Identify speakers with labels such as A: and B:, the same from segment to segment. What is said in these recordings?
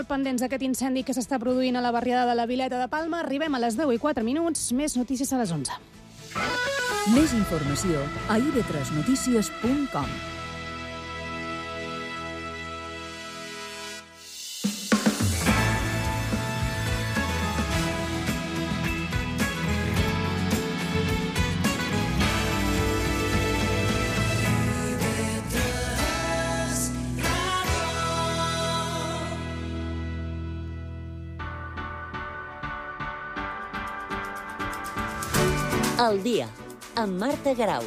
A: molt pendents d'aquest incendi que s'està produint a la barriada de la Vileta de Palma. Arribem a les 10:04. Més notícies a les 11.
B: Més informació a ib3notícies.com.
C: El dia, amb Marta Garau.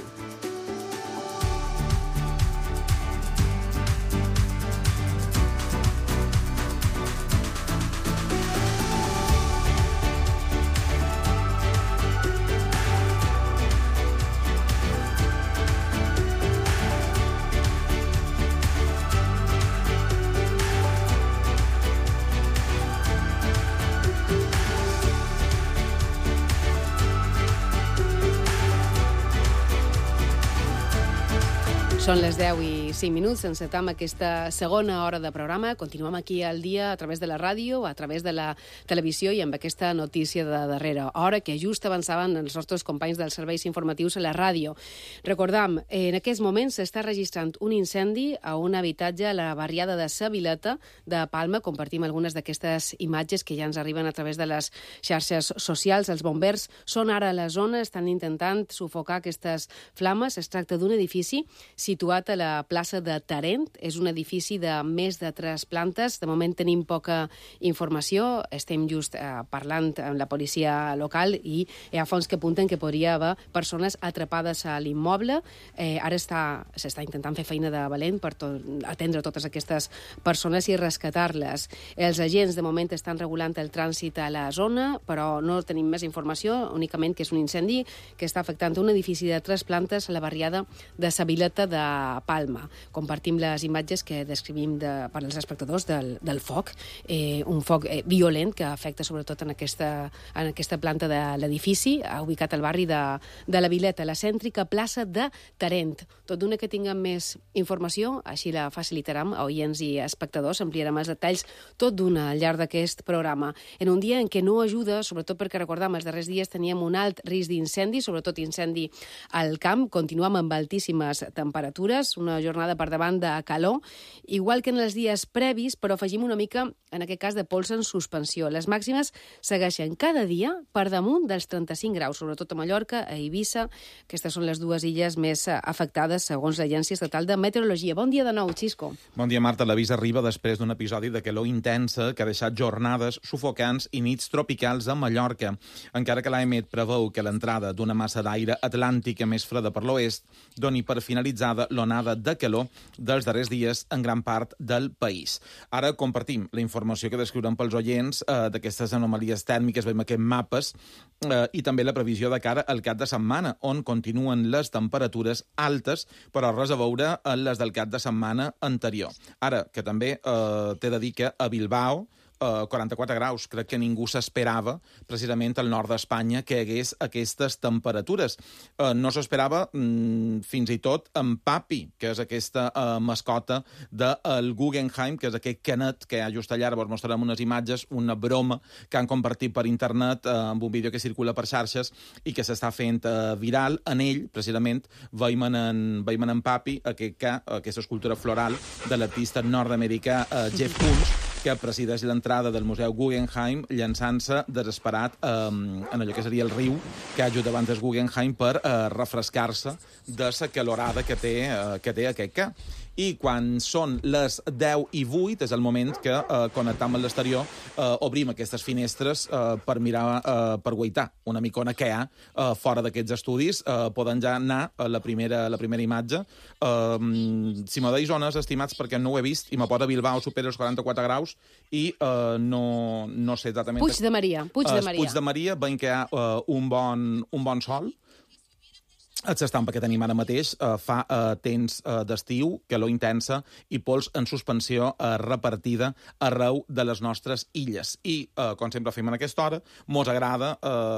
D: Són les 10:05. Encetam aquesta segona hora de programa. Continuem aquí al dia a través de la ràdio, a través de la televisió i amb aquesta notícia de darrera hora que just avançaven els nostres companys dels serveis informatius a la ràdio. Recordam, en aquests moments s'està registrant un incendi a un habitatge a la barriada de Sa Vileta de Palma. Compartim algunes d'aquestes imatges que ja ens arriben a través de les xarxes socials. Els bombers són ara a la zona, estan intentant sufocar aquestes flames. Es tracta d'un edifici situat a la plaça de Tarent. És un edifici de més de 3 plantes. De moment tenim poca informació. Estem just parlant amb la policia local i hi ha fonts que apunten que podria haver persones atrapades a l'immoble. Ara s'està intentant fer feina de valent per atendre totes aquestes persones i rescatar-les. Els agents de moment estan regulant el trànsit a la zona, però no tenim més informació, únicament que és un incendi que està afectant un edifici de 3 plantes a la barriada de Sa Vileta de Palma. Compartim les imatges que descrivim per als espectadors del foc, un foc violent que afecta sobretot en aquesta planta de l'edifici, ubicat al barri de la Vileta, la cèntrica plaça de Tarent. Tot d'una que tinguem més informació, així la facilitarem a oients i espectadors, ampliarem els detalls tot d'una al llarg d'aquest programa. En un dia en què no ajuda, sobretot perquè recordam, els darrers dies teníem un alt risc d'incendi, sobretot incendi al camp, continuem amb altíssimes temperatures, una jornada per davant de calor, igual que en els dies previs, però afegim una mica, en aquest cas, de pols en suspensió. Les màximes segueixen cada dia per damunt dels 35 graus, sobretot a Mallorca, a Eivissa. Aquestes són les dues illes més afectades, segons l'Agència Estatal de Meteorologia. Bon dia de nou, Xisco.
E: Bon dia, Marta. L'avís arriba després d'un episodi de calor intensa que ha deixat jornades sufocants i nits tropicals a Mallorca. Encara que l'AEMET preveu que l'entrada d'una massa d'aire atlàntica més freda per l'oest doni per finalitzada l'onada de calor dels darrers dies en gran part del país. Ara compartim la informació que descriurem pels oients d'aquestes anomalies tèrmiques, veiem aquests mapes, i també la previsió de cara al cap de setmana, on continuen les temperatures altes, però res a veure amb les del cap de setmana anterior. Ara, que també t'he de dir que a Bilbao, 44 graus. Crec que ningú s'esperava, precisament al nord d'Espanya, que hi hagués aquestes temperatures. No s'esperava fins i tot en Papi, que és aquesta mascota del Guggenheim, que és aquest canet que just allà, ara vos mostrarem unes imatges, una broma que han compartit per internet amb un vídeo que circula per xarxes i que s'està fent viral. En ell, precisament, veiem en Papi aquesta escultura floral de l'artista nord-americà Jeff Koons, que presideix l'entrada del Museu Guggenheim llançant-se desesperat en allò que seria el riu que ha davant del Guggenheim per refrescar-se de la calorada que té aquest ca. I quan són les 10:08 és el moment que, connectant amb l'exterior, obrim aquestes finestres per mirar, per guaitar una micona que hi ha fora d'aquests estudis. Poden ja anar a la primera imatge. Si me deis zones, estimats, perquè no ho he vist, i me pot a Bilbao supera els 44 graus i no sé exactament...
D: Puig de Maria.
E: Puig de Maria, veiem que hi ha un bon sol. El s'estampa que tenim ara mateix fa temps d'estiu, calor intensa i pols en suspensió repartida arreu de les nostres illes. I, com sempre fem en aquesta hora, mos agrada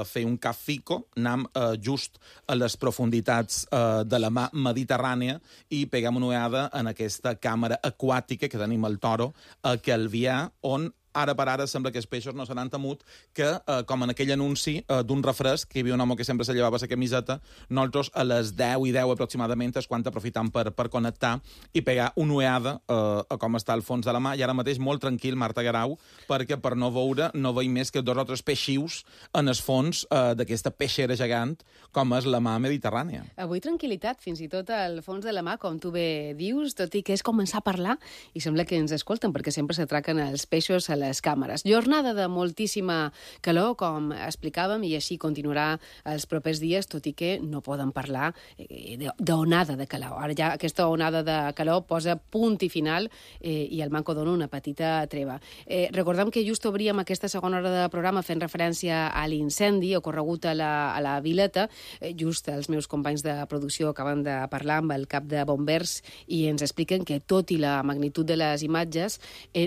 E: fer un cafico, anem just a les profunditats de la mar Mediterrània i peguem una ullada en aquesta càmera aquàtica que tenim al Toro a Calvià, on ara per ara sembla que els peixos no se n'han temut, que, com en aquell anunci d'un refresc, que hi havia un home que sempre se llevava la camiseta, nosaltres a les 10 i 10 aproximadament és quan aprofitam per connectar i pegar una ueada a com està el fons de la mà, i ara mateix molt tranquil, Marta Guerau, perquè per no veure no veig més que 2 o 3 peixius en el fons d'aquesta peixera gegant com és la mà mediterrània.
D: Avui tranquil·litat, fins i tot al fons de la mà, com tu bé dius, tot i que és començar a parlar i sembla que ens escolten perquè sempre s'atraquen els peixos a les càmeres. Jornada de moltíssima calor, com explicàvem, i així continuarà els propers dies, tot i que no poden parlar d'onada de calor. Ara ja aquesta onada de calor posa punt i final i el Manco dona una petita treva. Recordem que just obríem aquesta segona hora de programa fent referència a l'incendi ocorregut a la Vileta. Just els meus companys de producció acaben de parlar amb el cap de bombers i ens expliquen que, tot i la magnitud de les imatges,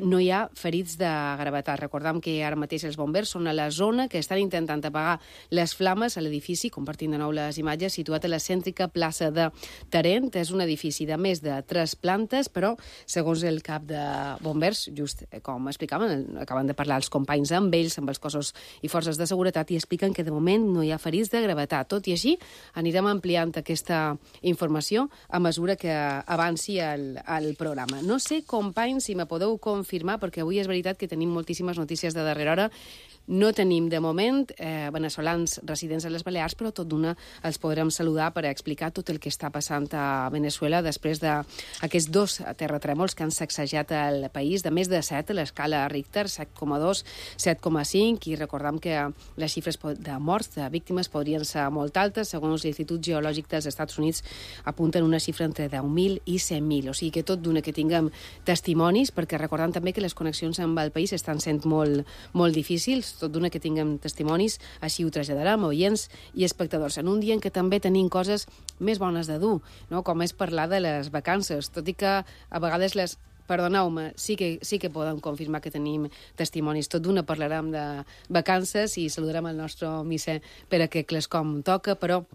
D: no hi ha ferits de gravetat. Recordem que ara mateix els bombers són a la zona que estan intentant apagar les flames a l'edifici, compartint de nou les imatges, situat a la cèntrica plaça de Tarent. És un edifici de més de 3 plantes, però, segons el cap de bombers, just com explicaven, acaben de parlar els companys amb ells, amb els cossos i forces de seguretat, i expliquen que de moment no hi ha ferits de gravetat. Tot i així, anirem ampliant aquesta informació a mesura que avanci el programa. No sé, companys, si me podeu confirmar, perquè avui és veritat que tenim moltíssimes notícies de darrera hora. No tenim, de moment, veneçolans residents a les Balears, però tot d'una els podrem saludar per explicar tot el que està passant a Veneçuela després d'aquests 2 terratrèmols que han sacsejat el país, de més de 7 a l'escala Richter, 7,2, 7,5, i recordem que les xifres de morts, de víctimes, podrien ser molt altes. Segons l'Institut Geològic dels Estats Units, apunten una xifra entre 10.000 i 100.000. O sigui que tot d'una que tinguem testimonis, perquè recordem també que les connexions amb el país estan sent molt, molt difícils, tot d'una que tinguem testimonis, així ho traslladarem a oients i espectadors. En un dia en què també tenim coses més bones de dur, no? Com és parlar de les vacances, tot i que a vegades perdoneu-me, sí que podem confirmar que tenim testimonis. Tot d'una parlarem de vacances i saludarem el nostre misser per aquest clascom toca, però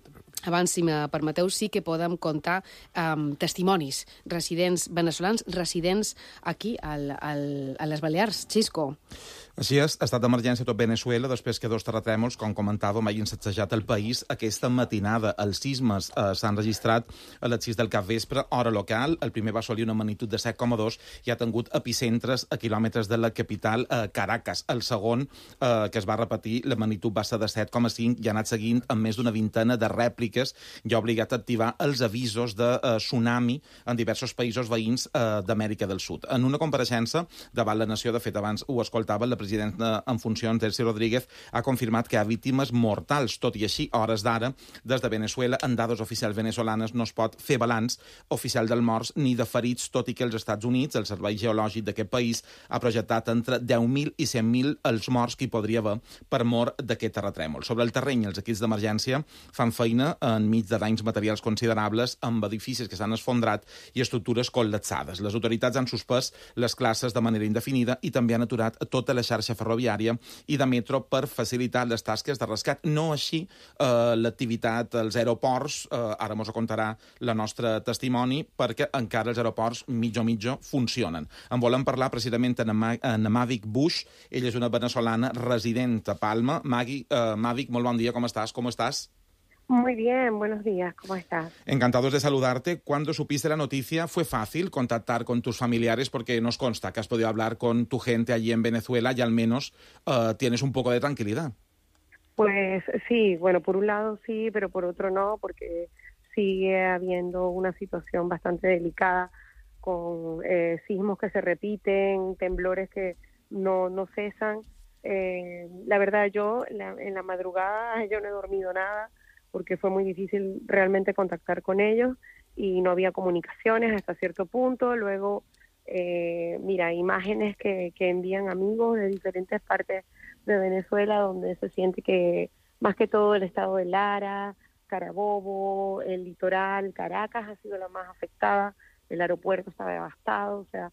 D: abans, si me permeteu, sí que podem comptar testimonis, residents veneçolans, residents aquí a les Balears. Xisco.
E: Així és, estat d'emergència a tot Veneçuela després que 2 terratrèmols, com comentàvem, hagin sacsejat el país aquesta matinada. Els sismes s'han registrat a les 6 del capvespre, hora local. El primer va assolir una magnitud de 7,2 i ha tingut epicentres a quilòmetres de la capital, Caracas. El segon, que es va repetir, la magnitud va ser de 7,5 i ha anat seguint amb més d'una vintena de rèpliques i ha obligat a activar els avisos de tsunami en diversos països veïns d'Amèrica del Sud. En una compareixença davant la nació, de fet, abans ho escoltava, la president en funcions, Delcy Rodríguez, ha confirmat que hi ha víctimes mortals. Tot i així, a hores d'ara, des de Veneçuela, en dades oficials venezolanes, no es pot fer balanç oficial dels morts ni de ferits, tot i que els Estats Units, el Servei Geològic d'aquest país, ha projectat entre 10.000 i 100.000 els morts que hi podria haver per mort d'aquest terratrèmol. Sobre el terreny, els equips d'emergència fan feina enmig de danys materials considerables amb edificis que s'han esfondrat i estructures col·lapsades. Les autoritats han suspès les classes de manera indefinida i també han aturat tota la xarxa ferroviària i de metro per facilitar les tasques de rescat. No així l'activitat als aeroports, ara mos ho contarà la nostra testimoni, perquè encara els aeroports mitjo funcionen. En volem parlar precisament amb Mavic Bush. Ella és una venezolana resident a Palma. Mavic, molt bon dia, com estàs? ¿Cómo estás?
F: Muy bien, buenos días, ¿cómo estás?
E: Encantados de saludarte. Cuando supiste la noticia, ¿fue fácil contactar con tus familiares? Porque nos consta que has podido hablar con tu gente allí en Venezuela y al menos tienes un poco de tranquilidad.
F: Pues sí, bueno, por un lado sí, pero por otro no, porque sigue habiendo una situación bastante delicada con sismos que se repiten, temblores que no cesan. La verdad, en la madrugada yo no he dormido nada, porque fue muy difícil realmente contactar con ellos y no había comunicaciones hasta cierto punto. Luego, imágenes que envían amigos de diferentes partes de Venezuela, donde se siente que más que todo el estado de Lara, Carabobo, el litoral, Caracas ha sido la más afectada, el aeropuerto está devastado, o sea,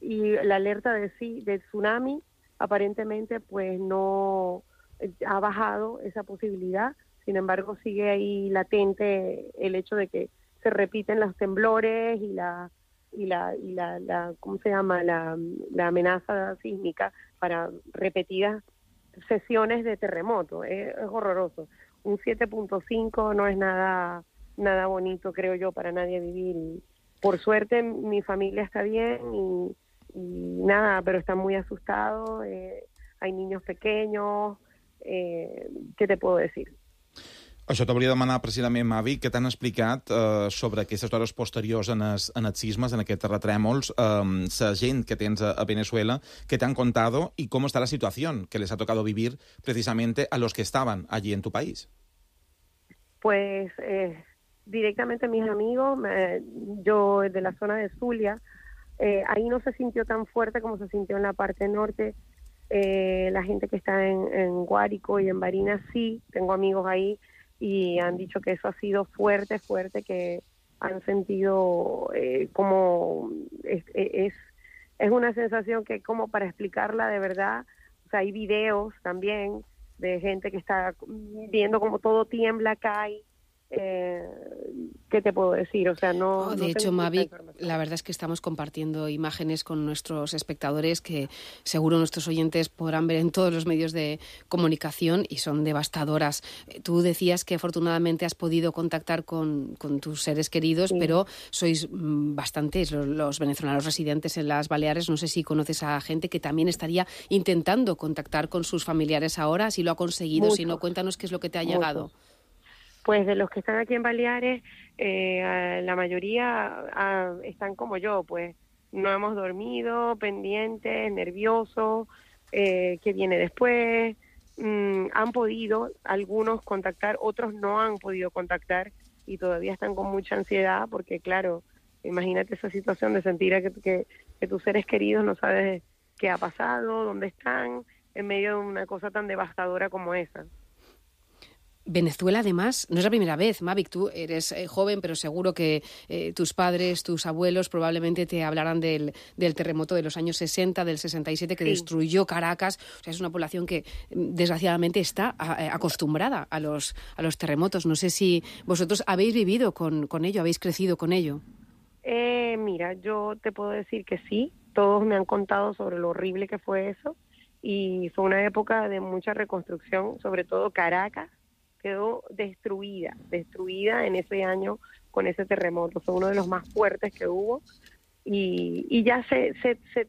F: y la alerta de tsunami aparentemente pues no ha bajado esa posibilidad. Sin embargo, sigue ahí latente el hecho de que se repiten los temblores y ¿cómo se llama? La amenaza sísmica para repetidas sesiones de terremoto. Es horroroso. Un 7.5 no es nada bonito, creo yo, para nadie vivir. Y por suerte mi familia está bien y nada, pero están muy asustados. Hay niños pequeños. Què te puedo decir?
E: Això t'hauria de demanar precisament, Mavi, què t'han explicat sobre aquestes hores posteriors en els sismes, en aquests terratrèmols, la gent que tens a Venezuela, que t'han contado y cómo está la situación que les ha tocado vivir precisamente a los que estaban allí en tu país.
F: Pues directamente mis amigos, yo de la zona de Zulia, ahí no se sintió tan fuerte como se sintió en la parte norte. La gente que está en Guárico y en Barinas sí, tengo amigos ahí y han dicho que eso ha sido fuerte, que han sentido como es una sensación que como para explicarla de verdad, o sea, hay videos también de gente que está viendo como todo tiembla, cae. ¿Qué te puedo decir? O sea, no.
D: De hecho, Mavi, la verdad es que estamos compartiendo imágenes con nuestros espectadores que seguro nuestros oyentes podrán ver en todos los medios de comunicación y son devastadoras. Tú decías que afortunadamente has podido contactar con tus seres queridos, sí, pero sois bastantes los venezolanos residentes en las Baleares. No sé si conoces a gente que también estaría intentando contactar con sus familiares ahora, si lo ha conseguido,
F: muchos,
D: si no, cuéntanos qué es lo que te ha llegado.
F: Pues de los que están aquí en Baleares, la mayoría están como yo, pues no hemos dormido, pendientes, nerviosos, qué viene después. Han podido algunos contactar, otros no han podido contactar y todavía están con mucha ansiedad porque, claro, imagínate esa situación de sentir que tus seres queridos no sabes qué ha pasado, dónde están, en medio de una cosa tan devastadora como esa.
D: Venezuela, además, no es la primera vez, Mavic, tú eres joven, pero seguro que tus padres, tus abuelos probablemente te hablarán del terremoto de los años 60, del 67, que sí, destruyó Caracas. O sea, es una población que, desgraciadamente, está acostumbrada a los terremotos. No sé si vosotros habéis vivido con ello, habéis crecido con ello.
F: Mira, yo te puedo decir que sí. Todos me han contado sobre lo horrible que fue eso. Y fue una época de mucha reconstrucción, sobre todo Caracas quedó destruida en ese año con ese terremoto. Fue uno de los más fuertes que hubo y ya se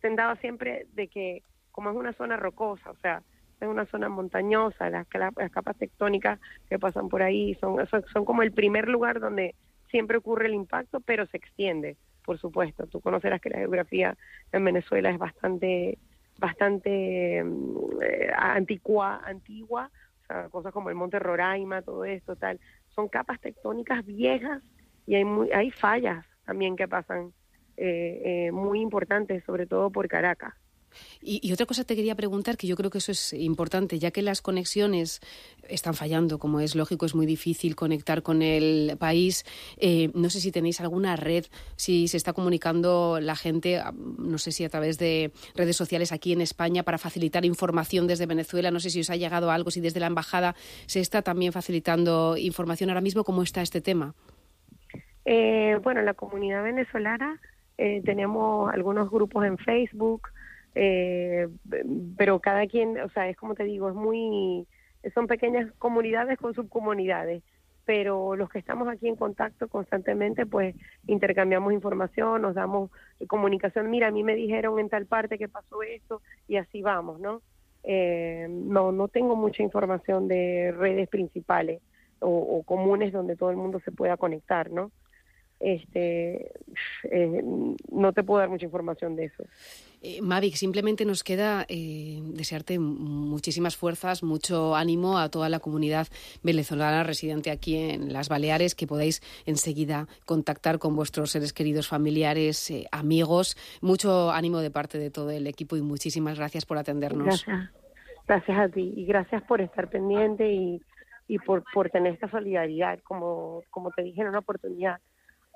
F: tendaba siempre de que, como es una zona rocosa, o sea, es una zona montañosa, las capas tectónicas que pasan por ahí son como el primer lugar donde siempre ocurre el impacto, pero se extiende, por supuesto. Tú conocerás que la geografía en Venezuela es bastante antigua, cosas como el Monte Roraima, todo esto, tal, son capas tectónicas viejas y hay fallas también que pasan muy importantes, sobre todo por Caracas.
D: Y otra cosa te quería preguntar, que yo creo que eso es importante, ya que las conexiones están fallando, como es lógico, es muy difícil conectar con el país. No sé si tenéis alguna red, si se está comunicando la gente, no sé si a través de redes sociales aquí en España, para facilitar información desde Venezuela. No sé si os ha llegado algo, si desde la embajada se está también facilitando información ahora mismo. ¿Cómo está este tema?
F: Bueno, la comunidad venezolana, tenemos algunos grupos en Facebook, pero cada quien, o sea, es como te digo, son pequeñas comunidades con subcomunidades, pero los que estamos aquí en contacto constantemente, pues intercambiamos información, nos damos comunicación. Mira, a mí me dijeron en tal parte que pasó esto y así vamos, ¿no? No tengo mucha información de redes principales o comunes donde todo el mundo se pueda conectar, ¿no? No te puedo dar mucha información de eso.
D: Mavic, simplemente nos queda desearte muchísimas fuerzas, mucho ánimo a toda la comunidad venezolana residente aquí en las Baleares, que podáis enseguida contactar con vuestros seres queridos, familiares, amigos. Mucho ánimo de parte de todo el equipo y muchísimas gracias por atendernos.
F: Gracias a ti y gracias por estar pendiente y por tener esta solidaridad, como te dije en una oportunidad.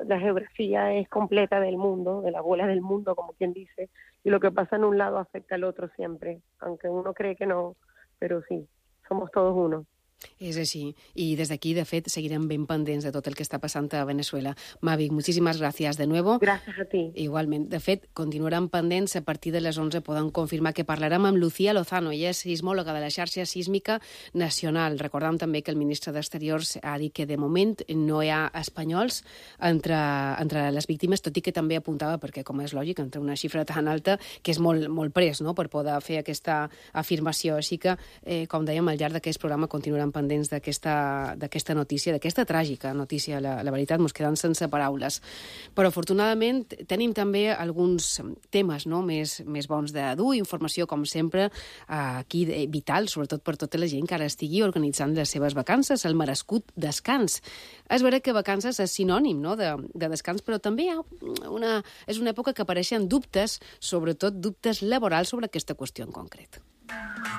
F: La geografía es completa del mundo, de la bola del mundo, como quien dice, y lo que pasa en un lado afecta al otro siempre, aunque uno cree que no, pero sí, somos todos uno.
D: És així. I des d'aquí, de fet, seguirem ben pendents de tot el que està passant a Venezuela. Mavic, muchísimas gracias de nuevo.
F: Gracias a ti.
D: Igualment. De fet, continuaran pendents. A partir de les 11 poden confirmar que parlarem amb Lucía Lozano. Ella és sismòloga de la xarxa sísmica nacional. Recordam també que el ministre d'Exteriors ha dit que de moment no hi ha espanyols entre les víctimes, tot i que també apuntava, perquè com és lògic, entre una xifra tan alta, que és molt pres, no?, per poder fer aquesta afirmació. Així que, com dèiem, al llarg d'aquest programa continuaran pendents d'aquesta notícia, d'aquesta tràgica notícia. La veritat, mos quedem sense paraules. Però, afortunadament, tenim també alguns temes, no?, més bons de dur, informació, com sempre, aquí vital, sobretot per tota la gent que ara estigui organitzant les seves vacances, el merescut descans. És vera que vacances és sinònim, no?, de descans, però també és una època que apareixen dubtes, sobretot dubtes laborals sobre aquesta qüestió en concret.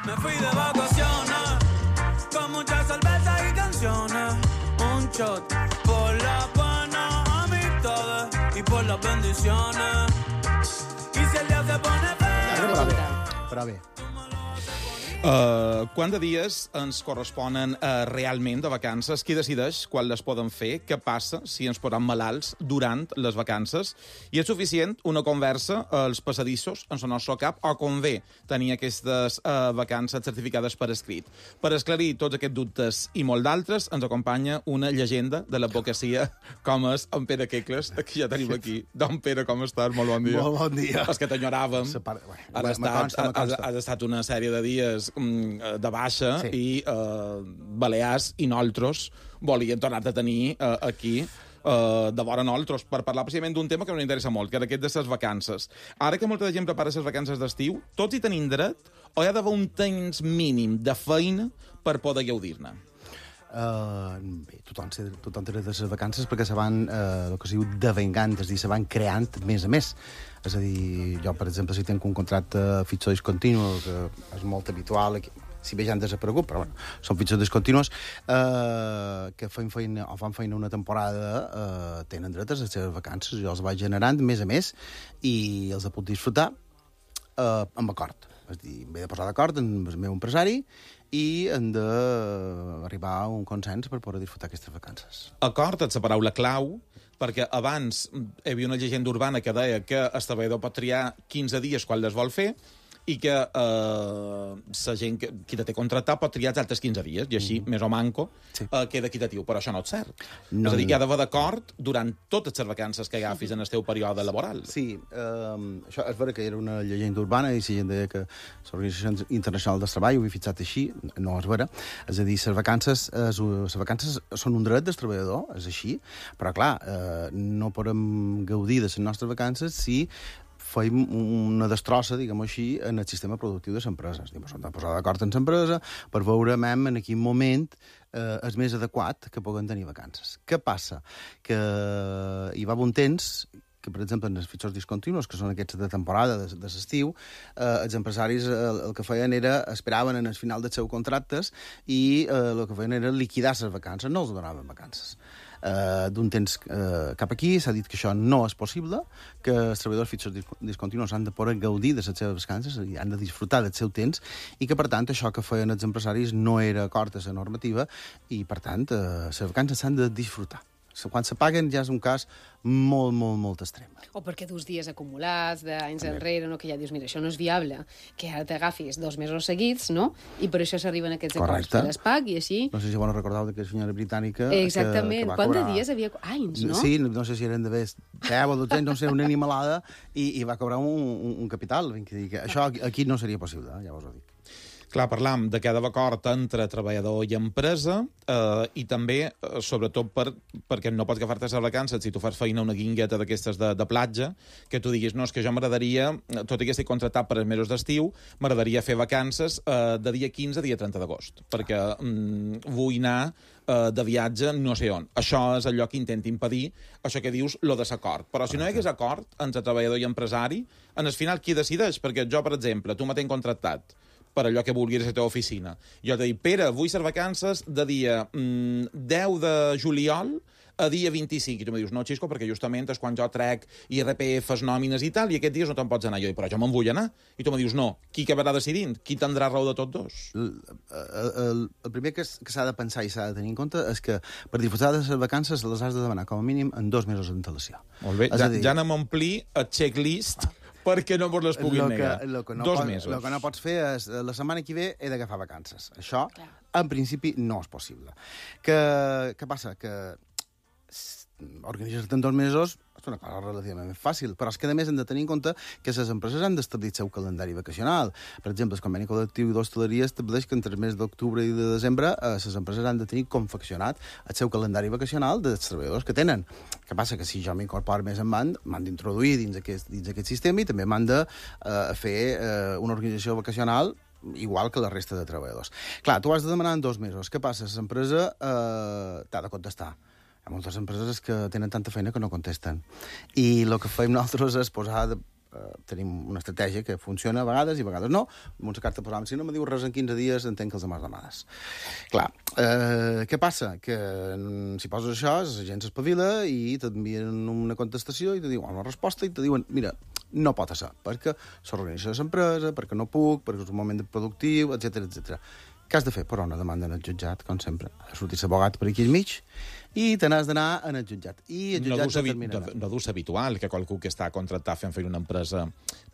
G: Me fui de vacaciones con mucha cerveza y canciones, un shot por las buenas amistades y por las bendiciones. Y si el día se pone feo...
H: Però bé.
E: Quant de dies ens corresponen realment de vacances? Qui decideix quan les poden fer? Què passa si ens posem malalts durant les vacances? I és suficient una conversa als passadissos en el nostre cap o convé tenir aquestes vacances certificades per escrit? Per esclarir tots aquests dubtes i molt d'altres, ens acompanya una llegenda de l'advocacia com és en Pere Quecles, que ja tenim aquí. Don Pere, com estàs? Molt bon dia.
H: Molt bon dia.
E: És que t'enyoràvem. Has estat una sèrie de dies de baixa, sí. I Balears i nosaltres volien tornar-te a tenir aquí de vora nosaltres per parlar precisament d'un tema que ens interessa molt, que era aquest de les vacances. Ara que molta gent prepara les vacances d'estiu, tots hi tenim dret o hi ha d'haver un temps mínim de feina per poder gaudir-ne?
H: Bé, tothom té dret a les vacances perquè se van, el que es diu, devengant, és a dir, se van creant mes a mes. És a dir, jo, per exemple, si tinc un contracte fixo discontinu, que és molt habitual, si bé ja han desaparegut, però bueno, són fixos discontinus, que fan feina una temporada, tenen dret a les seves vacances. Jo els vaig generant mes a mes i els puc disfrutar amb acord. És a dir, m'he de posar d'acord amb el meu empresari i hem d'arribar a un consens per poder disfrutar aquestes vacances.
E: Acord és la paraula clau, perquè abans hi havia una llegenda urbana que deia que el treballador pot triar 15 dies quan les vol fer i que la gent qui té contractat pot triar els altres 15 dies, i així, més o manco, sí. Queda equitatiu. Però això no és cert. No. És a dir, hi ha d'haver d'acord durant totes les vacances que agafis en el teu període laboral.
H: Sí, això és vera que era una llegenda urbana i si gent deia que l'Organització Internacional del Treball ho havia fixat així, no és vera. És a dir, les vacances són un dret del treballador, és així, però clar, no podem gaudir de les nostres vacances si fem una destrossa, diguem-ho així, en el sistema productiu de l'empresa. S'han de posar d'acord amb l'empresa per veure en quin moment és més adequat que puguem tenir vacances. Què passa? Que hi va un temps que, per exemple, en els fitxos discontinus, que són aquests de temporada, de l'estiu, els empresaris el que feien era, esperaven en el final dels seus contractes i el que feien era liquidar les vacances, no els donaven vacances. D'un temps cap aquí s'ha dit que això no és possible, que els treballadors fitxos discontinus han de poder gaudir de les seves vacances i han de disfrutar del seu temps i que, per tant, això que feien els empresaris no era acord a la normativa i, per tant, les vacances s'han de disfrutar. Quan se paguen ja és un cas molt extrem.
D: O perquè dus dies acumulats d'anys enrere, no? Que ja dius, mira, això no és viable, que ara t'agafis 2 mesos seguits, no? I per això s'arriben aquests acords de l'ESPAC i així...
H: No sé si vos recordeu d'aquella senyora britànica...
D: Exactament.
H: Quant
D: de dies havia... Anys, no?
H: Sí, no sé si eren d'haver 10 o 12 anys, no sé, una animalada, i va cobrar un capital. Això aquí no seria possible, ja vos ho dic.
E: Clar, parlam de que ha d'haver acord entre treballador i empresa i també, sobretot, perquè no pots agafar-te les vacances si tu fas feina una guingueta d'aquestes de platja, que tu diguis, no, és que jo m'agradaria, tot i que estic contractat per els mesos d'estiu, m'agradaria fer vacances de dia 15 a dia 30 d'agost, perquè vull anar de viatge no sé on. Això és allò que intenta impedir, això que dius, lo desacord. Però si no hi hagués acord entre treballador i empresari, en el final qui decideix? Perquè jo, per exemple, tu me tens contractat per allò que vulguis a la teva oficina. Jo t'he dit, Pere, vull ser vacances de dia 10 de juliol a dia 25. I tu me dius, no, Xisco, perquè justament és quan jo trec IRPFs, nòmines i tal, i aquests dies no te'n pots anar. Jo dic, però jo me'n vull anar. I tu me dius, no, qui acabarà decidint? Qui tindrà raó de tots dos?
H: El primer que s'ha de pensar i s'ha de tenir en compte és que per disfrutar de les vacances les has de demanar com a mínim en 2 mesos d'antelació.
E: Molt bé, ja anem a omplir el checklist perquè no vos les puguin negar. 2 mesos.
H: El que no pots fer és, la setmana que ve he d'agafar vacances. Això, en principi, no és possible. Què passa? Que organitzar-te en 2 mesos és una cosa relativament fàcil, però és que, a més, hem de tenir en compte que les empreses han d'establir el seu calendari vacacional. Per exemple, el conveni col·lectiu d'hostaleria estableix que entre el mes d'octubre i de desembre les empreses han de tenir confeccionat el seu calendari vacacional dels treballadors que tenen. Què passa? Que si jo m'incorporo més endavant, m'han d'introduir dins aquest sistema i també m'han de fer una organització vacacional igual que la resta de treballadors. Clar, tu has de demanar en 2 mesos. Què passa? L'empresa t'ha de contestar. Hi ha moltes empreses que tenen tanta feina que no contesten. I el que fem nosaltres és posar... tenim una estratègia que funciona a vegades i a vegades no. Amb una carta posàvem, si no me diu res en 15 dies, entenc que els demà donades. Clar, què passa? Que si poses això, la gent s'espavila i t'envien una contestació i te diuen una resposta i te diuen, mira, no pot ser, perquè s'organitza l'empresa, perquè no puc, perquè és un moment productiu, etc. Què has de fer? Però una demanda en el jutjat, com sempre. Ha de sortir l'abogat per aquí al mig i te n'has d'anar en el jutjat. I el jutjat determinarà.
E: No dus habitual que qualcú que està contractat fent feina una empresa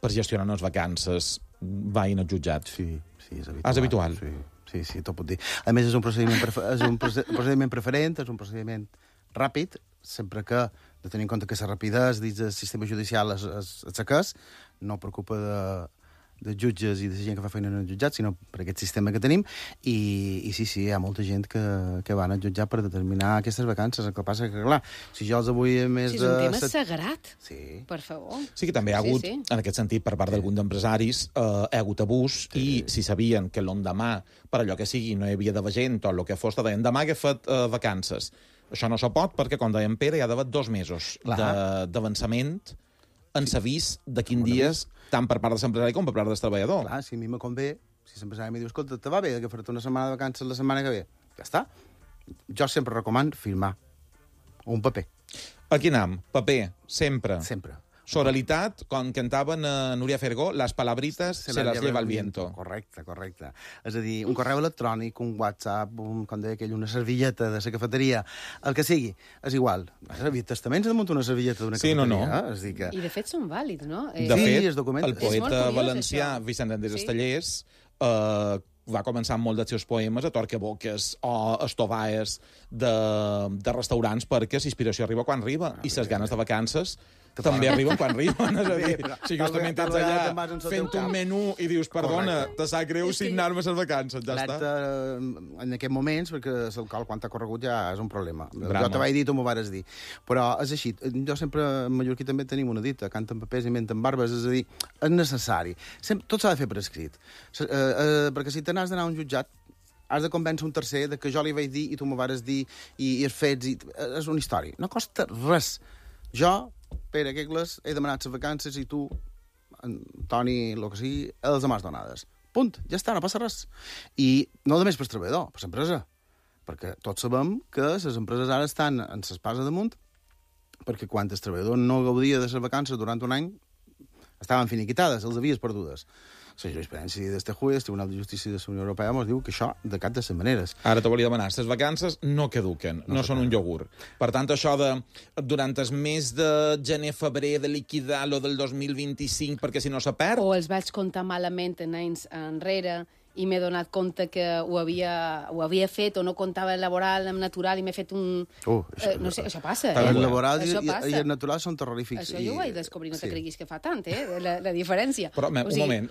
E: per gestionar unes vacances vagi al jutjat.
H: Sí, és habitual.
E: És habitual?
H: Sí, tot pot dir. A més, és un procediment preferent, és un procediment ràpid, sempre que, de tenir en compte que la rapidesa dins del sistema judicial és no preocupa de jutges i de gent que fa feina en el jutjat, sinó per aquest sistema que tenim, i sí, hi ha molta gent que van al jutjat per determinar aquestes vacances. El que passa que, clar, si jo els avui més...
D: Sí, és un tema sagrat,
H: sí.
D: Per favor.
E: Sí que també hi ha hagut, en aquest sentit, per part d'alguns empresaris, hi ha hagut abús, i si sabien que l'endemà, per allò que sigui, no hi havia d'haver gent, o el que fos, deien, demà que he fet vacances. Això no se pot, perquè, com deia en Pere, hi ha d'haver 2 mesos d'avançament en l'avís de quins dies, tant per part de l'empresari com per part del treballador.
H: Clar, si a mi me convé, si l'empresari em diu, escolta, te va bé agafar-te una setmana de vacances la setmana que ve? Ja està. Jo sempre recomano firmar un paper.
E: Aquí anem, paper, sempre.
H: Sempre.
E: Soralitat, com cantaven Núria Fergó, les palabritas se las lleva el viento.
H: Correcte. És a dir, un correu electrònic, un WhatsApp, com deia aquell, una servilleta de la cafeteria, el que sigui, és igual. Testaments de muntar una servilleta d'una cafeteria.
E: No.
H: És dir que...
D: I de fet són vàlids, no?
E: De fet,
H: el
E: poeta valencià Vicent Endés Estellers va començar amb molts dels seus poemes a torcaboques o estovaes de restaurants perquè l'inspiració arriba quan arriba i les ganes de vacances també arriben quan arriben. És a dir, si justament ets allà fent un menú i dius, perdona, te sap greu signar-me les vacances, ja està.
H: En aquests moments, perquè el quant ha corregut ja és un problema. Jo te vaig dir, tu m'ho vares dir. Però és així. Jo sempre, en mallorquí també tenim una dita, canten papers i menten barbes, és a dir, és necessari. Tot s'ha de fer per escrit. Perquè si te n'has d'anar a un jutjat, has de convèncer un tercer de que jo li vaig dir i tu m'ho vares dir i els fets... És una història. No costa res. Jo, Pere Quegles, he demanat les vacances i tu, Toni, el que sigui, els demàs donades. Punt. Ja està, no passa res. I no només per treballador, per l'empresa. Perquè tots sabem que les empreses ara estan en l'espasa damunt perquè quan el treballador no gaudia de les vacances durant un any estaven finiquitades, els havies perdudes. La jurisprudència d'este juez, el Tribunal de Justícia de la Unió Europea, ens diu que això de cap de les maneres.
E: Ara te volia demanar, les vacances no caduquen, no són un iogurt. Per tant, això de, durant el mes de gener-febrer, de liquidar lo del 2025 perquè si no se perd...
D: O els vaig comptar malament en anys enrere i m'he donat compte que ho havia fet o no comptava el laboral amb natural i m'he fet un... no sé, això passa.
H: El laboral i el natural són terrorífics.
D: Això jo ho vaig descobrir, no te creguis que fa tant, la diferència.
E: Però, un moment,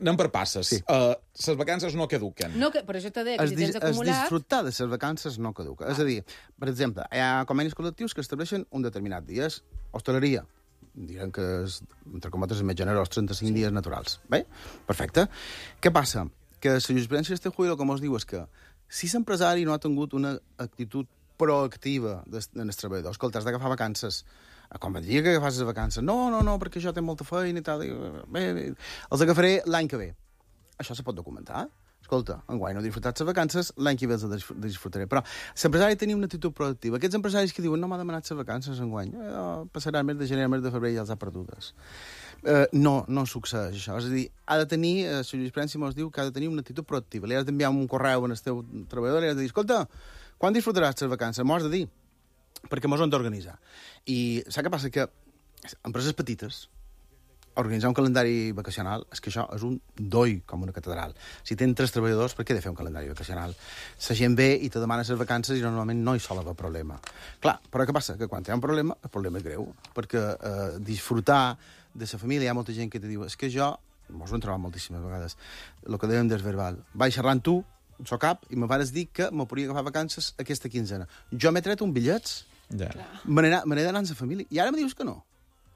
E: anem per passes. Les vacances no caduquen.
D: No, per això t'he dit que si tens acumulat...
H: Disfrutar de les vacances no caduca. És a dir, per exemple, hi ha convenis col·lectius que estableixen un determinat dia. És hostaleria. Diran que és, entre cometes, més generós, 35 dies naturals. Bé? Perfecte. Què passa? Que la jurisprudència d'este juicio, com us diu, és que si l'empresari no ha tingut una actitud proactiva en els treballadors, escolta, has d'agafar vacances, com et diria que agafas les vacances, no, perquè jo tinc molta feina i tal, bé, els agafaré l'any que ve. Això se pot documentar. escolta, enguany no he disfrutat les vacances, l'any que ve les disfrutaré. Però l'empresari tenia una actitud proactiva. Aquests empresaris que diuen no m'ha demanat les vacances enguany, passarà el mes de gener, el mes de febrer i ja els ha perdudes. No succeeix això. És a dir, ha de tenir, la jurisprudència ens diu que ha de tenir una actitud proactiva. Li has d'enviar un correu al teu treballador i li has de dir, escolta, quan disfrutaràs les vacances? M'ho has de dir, perquè m'ho han d'organitzar. I saps què passa? Que empreses petites, organitzar un calendari vacacional, és que això és un doi com una catedral. Si tenen 3 treballadors, per què he de fer un calendari vacacional? La gent ve i te demana les vacances i normalment no hi sol haver problema. Clar, però què passa? Que quan hi ha un problema, el problema és greu, perquè disfrutar de la família, hi ha molta gent que te diu és que jo, mos ho hem trobat moltíssimes vegades, el que dèiem del verbal, vaig xerrar amb tu, so cap, i me vas dir que me podria agafar vacances aquesta quinzena. Jo m'he tret un bitllets, me n'he d'anar amb la família, i ara me dius que no.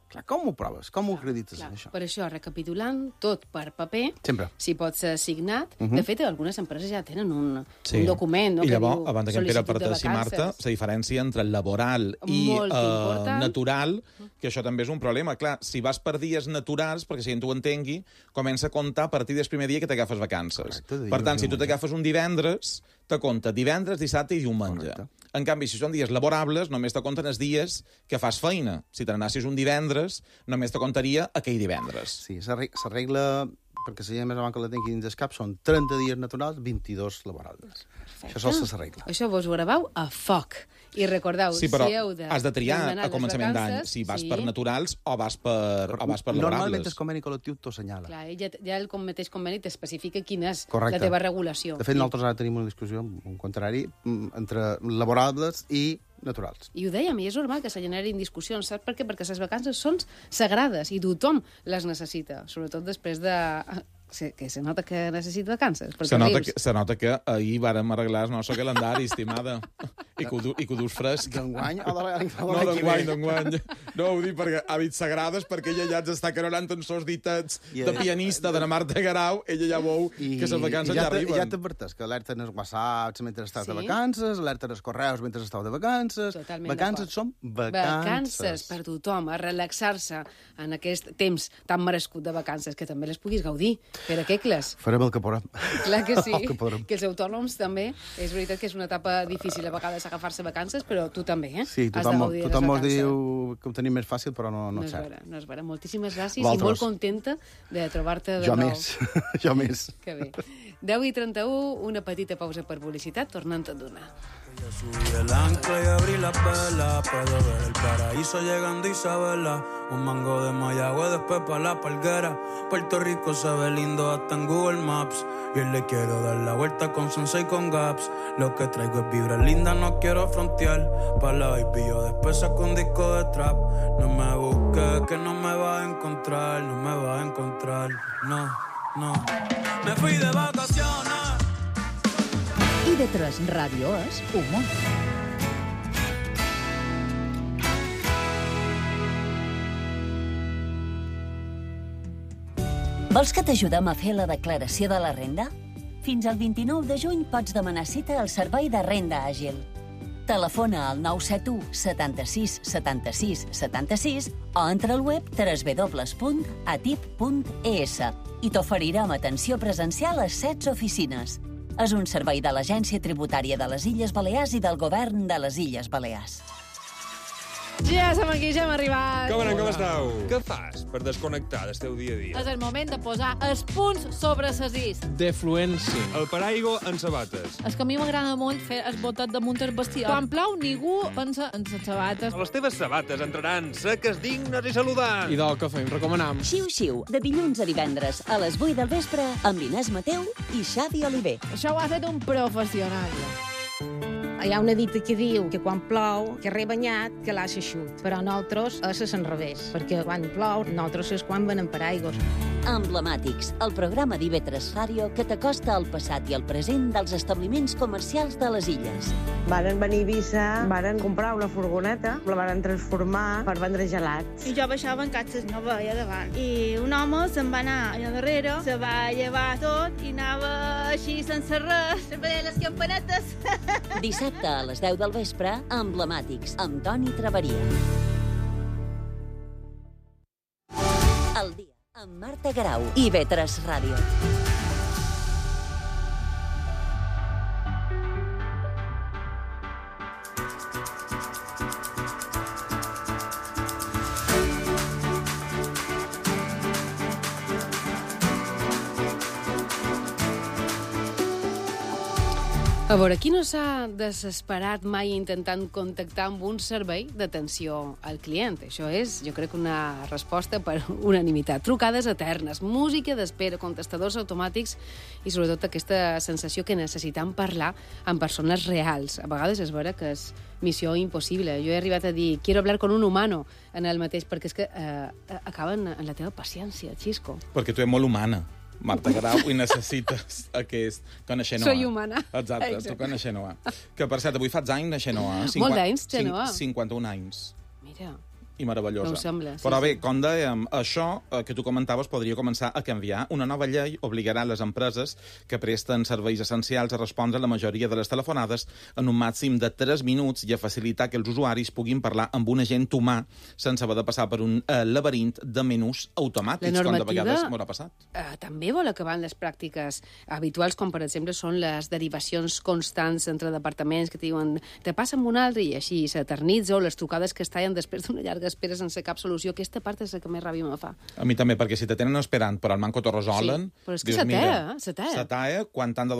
H: Clar, com ho proves? Com ho acredites, això?
D: Per això, recapitulant, tot per paper,
H: sempre.
D: Si pot ser signat. De fet, algunes empreses ja tenen un document, no?
E: I llavors,
D: que
E: abans que en Pere parteixi, Marta, la diferència entre el laboral i natural, que això també és un problema. Clar, si vas per dies naturals, perquè si gent ho entengui, comença a comptar a partir del primer dia que t'agafes vacances. Correcte, per tant, si tu t'agafes un divendres, te compta divendres, dissabte i diumenge. Correcte. En canvi, si són dies laborables, només te compten els dies que fas feina. Si te n'anassis un divendres, només te comptaria aquell divendres.
H: Sí, s'arregla, perquè la gent més avant que la tingui dins el cap, són 30 dies naturals, 22 laborables. Perfecte. Això sol s'arregla.
D: Això vos ho graveu a foc. I recordeu,
E: sí, però
D: si heu de...
E: has de triar a començament d'any, si vas per naturals o vas per laborables.
H: Normalment el conveni col·lectiu t'ho assenyala.
D: Clar, ja el mateix conveni t'especifica quina és la teva regulació.
H: De fet, nosaltres ara tenim una discussió, un contrari, entre laborables i naturals.
D: I ho dèiem, i és normal que se generin discussions, saps per què? Perquè les vacances són sagrades i tothom les necessita, sobretot després de... que se nota que necessita vacances.
E: Se nota que ahir vàrem arreglar el nostre calendari, estimada, i que ho dus fresc.
H: D'enguany o de l'any?
E: No, d'enguany. No, ho dic perquè hàbits sagrades, perquè ella ja ens està carolant en sos ditets de pianista de la Marta Garau, ella ja veu que les vacances ja arriben.
H: I ja t'adverteix que alerten els whatsapps mentre estàs de vacances, alerten els correus mentre esteu de vacances. Vacances són vacances.
D: Vacances per tothom, a relaxar-se en aquest temps tan merescut de vacances, que també les puguis gaudir. Per a què, Cles?
H: Farem el que podrem.
D: Clar que sí. Que els autònoms també. És veritat que és una etapa difícil a vegades agafar-se vacances, però tu també, eh?
H: Sí, tothom mos diu que ho tenim més fàcil, però no és cert.
D: No és vera. Moltíssimes gràcies i molt contenta de trobar-te de nou.
H: Jo més.
D: Que bé. 10:31, una petita pausa per publicitat, tornant a donar.
G: Ya subí el ancla y abrí la vela, puedo ver el paraíso llegando Isabela, un mango de Mayagüe después pa' la Palguera, Puerto Rico se ve lindo hasta en Google Maps, y le quiero dar la vuelta con Sensei con Gaps, lo que traigo es vibra linda, no quiero frontear, pa' la baby yo después saco un disco de trap, no me busques que no me vas a encontrar, no, me fui de vacaciones.
B: IB3 Ràdio és humor.
C: Vols que t'ajudem a fer la declaració de la renda? Fins al 29 de juny pots demanar cita al Servei de Renda Àgil. Telefona al 971 76 76 76 o entra al web www.atip.es i t'oferirem atenció presencial a 16 oficines. És un servei de l'Agència Tributària de les Illes Balears i del Govern de les Illes Balears.
A: Ja som aquí, ja hem arribat.
I: Com anem, com esteu? Què fas per desconnectar del teu dia a dia?
J: És el moment de posar els punts sobre les is.
I: Defluència. El paraigua en sabates.
J: És que a mi m'agrada molt fer el botet damunt el vestidor. Quan plou, ningú pensa en les sabates.
I: Les teves sabates entraran seques, dignes i saludants.
K: I del que fem, recomanam.
C: Xiu-xiu, de dilluns a divendres a les 8 del vespre amb Inés Mateu i Xavi Oliver.
J: Això ho ha fet un professional.
L: Hi ha una dita que diu que quan plou, que rebanyat, que l'ha xut. Però nosaltres és l'enrevés, perquè quan plou, nosaltres és quan venem paraigües.
C: Emblemàtics, el programa d'IB3 Ràdio que t'acosta al passat i al present dels establiments comercials de les illes.
F: Varen venir a Eivissa, varen comprar una furgoneta, la varen transformar per vendre gelats.
M: I jo baixava en catxes, no veia davant. I un home se'n va anar allà darrere, se va llevar tot i anava així sense res, sempre deia les campanetes.
C: Dissabte a les 10 del vespre, Emblemàtics, amb Toni Traveria. El dia amb Marta Garau, IB3 Ràdio.
D: A veure, qui no s'ha desesperat mai intentant contactar amb un servei d'atenció al client? Això és, jo crec, una resposta per unanimitat. Trucades eternes, música d'espera, contestadors automàtics i, sobretot, aquesta sensació que necessitem parlar amb persones reals. A vegades és vera que és missió impossible. Jo he arribat a dir «quiero hablar con un humano» en el mateix, perquè és que acaben en la teva paciència, Xisco.
E: Perquè tu ets molt humana, Marta Grau, i necessites aquest... Tu en Xenoa.
D: Soy humana.
E: Exacte, tu en Xenoa. Que, per cert, avui fas anys de Xenoa.
D: Molt d'anys, Xenoa.
E: 51 anys.
D: Mira.
E: I meravellosa.
D: No ho sembla. Sí,
E: però bé, com dèiem, això que tu comentaves podria començar a canviar. Una nova llei obligarà les empreses que presten serveis essencials a respondre a la majoria de les telefonades en un màxim de 3 minuts i a facilitar que els usuaris puguin parlar amb un agent humà sense haver de passar per un laberint de menús automàtics, com de vegades m'haurà passat.
D: També vol acabar en les pràctiques habituals, com per exemple són les derivacions constants entre departaments que diuen te passa amb un altre i així s'eternitza, o les trucades que es tallen després d'una llarga espera sense cap solució. Aquesta part és la que més ràbia me fa.
E: A mi també, perquè si te tenen esperant però al manco t'ho resolen...
D: Sí, però és que s'atea.
E: Quan t'han de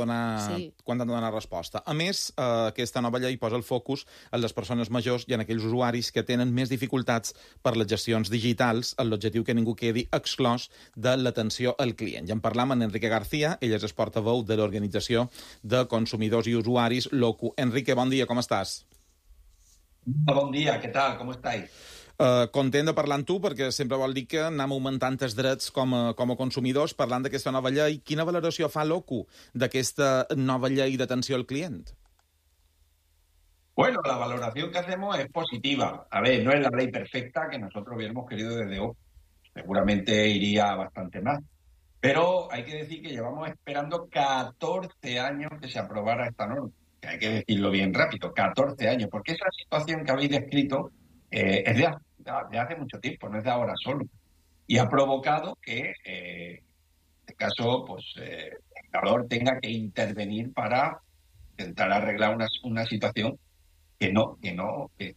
E: donar resposta. A més, aquesta nova llei posa el focus en les persones majors i en aquells usuaris que tenen més dificultats per les gestions digitals, amb l'objectiu que ningú quedi exclòs de l'atenció al client. Ja en parlam amb Enrique García, ell és portaveu de l'Organització de Consumidors i Usuaris, l'OCU. Enrique, bon dia, com estàs?
K: Bon dia, què tal? Com estáis?
E: Content de parlar amb tu, perquè sempre vol dir que anem augmentant els drets com a consumidors parlant d'aquesta nova llei. Quina valoració fa l'OCU d'aquesta nova llei d'atenció al client?
K: Bueno, la valoración que hacemos es positiva. A ver, no es la ley perfecta que nosotros hubiéramos querido desde OCU. Seguramente iría bastante más. Pero hay que decir que llevamos esperando 14 años que se aprobara esta norma. Que hay que decirlo bien rápido, 14 años. Porque esa situación que habéis descrito es de hace mucho tiempo, no es de ahora solo. Y ha provocado que, en este caso, pues el legislador tenga que intervenir para intentar arreglar una situación que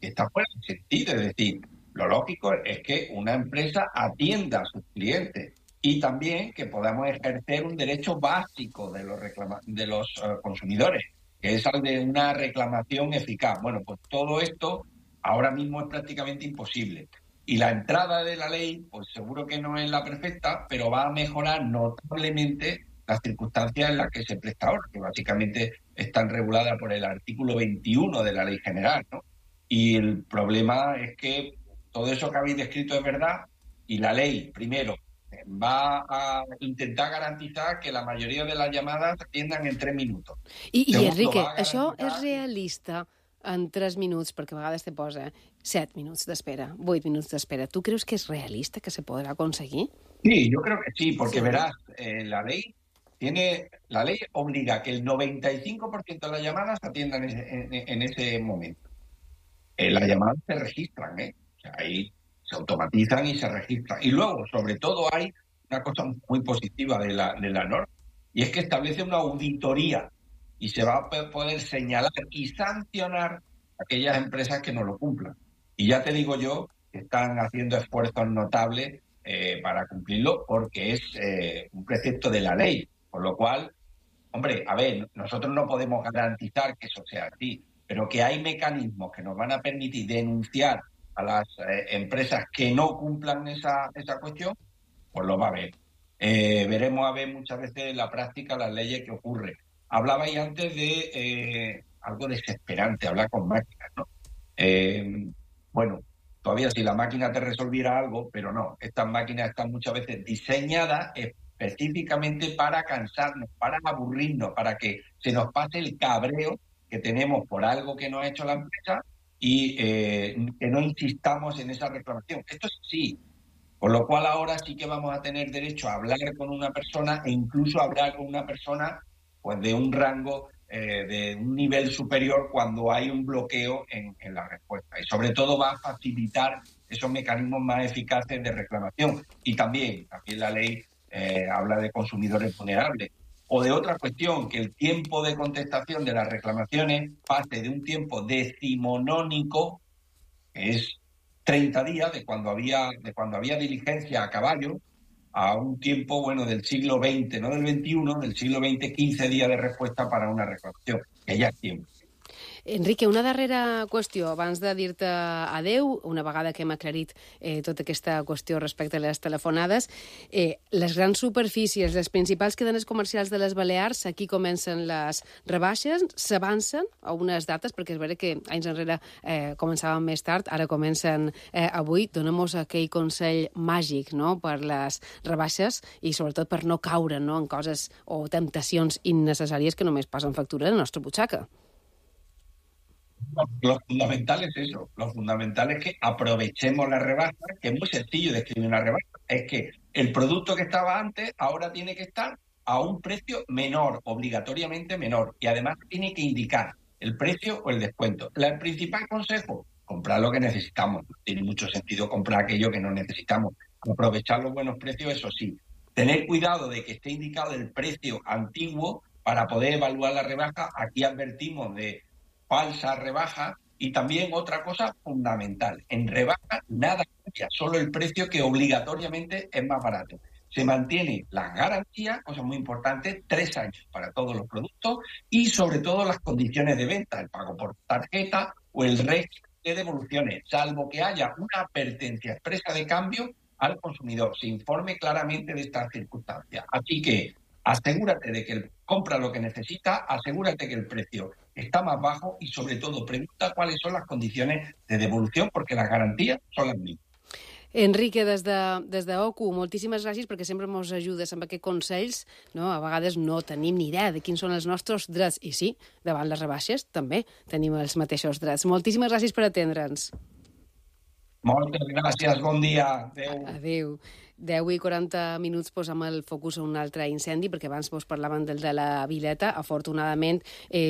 K: está fuera de sentido. Es decir, lo lógico es que una empresa atienda a sus clientes y también que podamos ejercer un derecho básico de los consumidores, que es el de una reclamación eficaz. Bueno, pues todo esto ahora mismo es prácticamente imposible. Y la entrada de la ley, pues seguro que no es la perfecta, pero va a mejorar notablemente las circunstancias en las que se presta ahora, que básicamente están reguladas por el artículo 21 de la Ley General, ¿no? Y el problema es que todo eso que habéis descrito es verdad, y la ley, primero, va a intentar garantizar que la mayoría de las llamadas se atiendan en 3 minutos.
D: I Enrique, això és realista en 3 minuts, perquè a vegades te posa 7 minuts d'espera, 8 minuts d'espera. ¿Tú crees que es realista que se podrá conseguir?
K: Sí, yo creo que sí, porque verás, la ley obliga a que el 95% de las llamadas se atiendan en ese momento. Las llamadas se registran, O sea, ahí se automatizan y se registran. Y luego, sobre todo, hay una cosa muy positiva de la norma, y es que establece una auditoría y se va a poder señalar y sancionar a aquellas empresas que no lo cumplan. Y ya te digo yo que están haciendo esfuerzos notables para cumplirlo, porque es un precepto de la ley. Por lo cual, hombre, a ver, nosotros no podemos garantizar que eso sea así, pero que hay mecanismos que nos van a permitir denunciar a las empresas que no cumplan esa cuestión, pues lo va a haber. Veremos a ver muchas veces en la práctica las leyes que ocurren. Hablabais antes de algo desesperante, hablar con máquinas, ¿no? Bueno, todavía si la máquina te resolviera algo, pero no, estas máquinas están muchas veces diseñadas específicamente para cansarnos, para aburrirnos, para que se nos pase el cabreo que tenemos por algo que nos ha hecho la empresa y que no insistamos en esa reclamación. Esto es sí. Con lo cual ahora sí que vamos a tener derecho a hablar con una persona e incluso hablar con una persona pues de un rango, de un nivel superior cuando hay un bloqueo en la respuesta. Y sobre todo va a facilitar esos mecanismos más eficaces de reclamación. Y también la ley habla de consumidores vulnerables. O de otra cuestión, que el tiempo de contestación de las reclamaciones pase de un tiempo decimonónico, que es 30 días de cuando había diligencia a caballo, a un tiempo, bueno, del siglo XX, no del XXI, del siglo XX, 15 días de respuesta para una reclamación, que ya es tiempo.
D: Enrique, una darrera qüestió, abans de dir-te adeu, una vegada que hem aclarit tota aquesta qüestió respecte a les telefonades, les grans superfícies, les principals cadenes comercials de les Balears, aquí comencen les rebaixes, s'avancen a unes dates, perquè és vera que anys enrere començaven més tard, ara comencen avui. Donem-nos aquell consell màgic, no?, per les rebaixes i sobretot per no caure, no?, en coses o temptacions innecessàries que només passen factura a la nostra butxaca.
K: Lo fundamental es eso, lo fundamental es que aprovechemos la rebaja, que es muy sencillo describir una rebaja, es que el producto que estaba antes ahora tiene que estar a un precio menor, obligatoriamente menor, y además tiene que indicar el precio o el descuento. El principal consejo, comprar lo que necesitamos, no tiene mucho sentido comprar aquello que no necesitamos, aprovechar los buenos precios, eso sí, tener cuidado de que esté indicado el precio antiguo para poder evaluar la rebaja. Aquí advertimos de falsa rebaja. Y también otra cosa fundamental, en rebaja nada cambia, solo el precio que obligatoriamente es más barato. Se mantiene la garantía, cosa muy importante, 3 años para todos los productos y sobre todo las condiciones de venta, el pago por tarjeta o el resto de devoluciones, salvo que haya una advertencia expresa de cambio al consumidor, se informe claramente de estas circunstancias. Así que asegúrate de que compra lo que necesita, asegúrate que el precio está más bajo y, sobre todo, pregunta cuáles son las condiciones de devolución, porque las garantías son las mismas.
D: Enrique, des de OCU, moltíssimes gràcies perquè sempre ens ajudes amb aquests consells. No? A vegades no tenim ni idea de quins són els nostres drets. I sí, davant les rebaixes també tenim els mateixos drets. Moltíssimes gràcies per atendre'ns.
K: Moltes gràcies, bon dia. Adéu.
D: Adéu. 10:40 posam el focus a un altre incendi, perquè abans vos parlaven del de la Vileta. Afortunadament,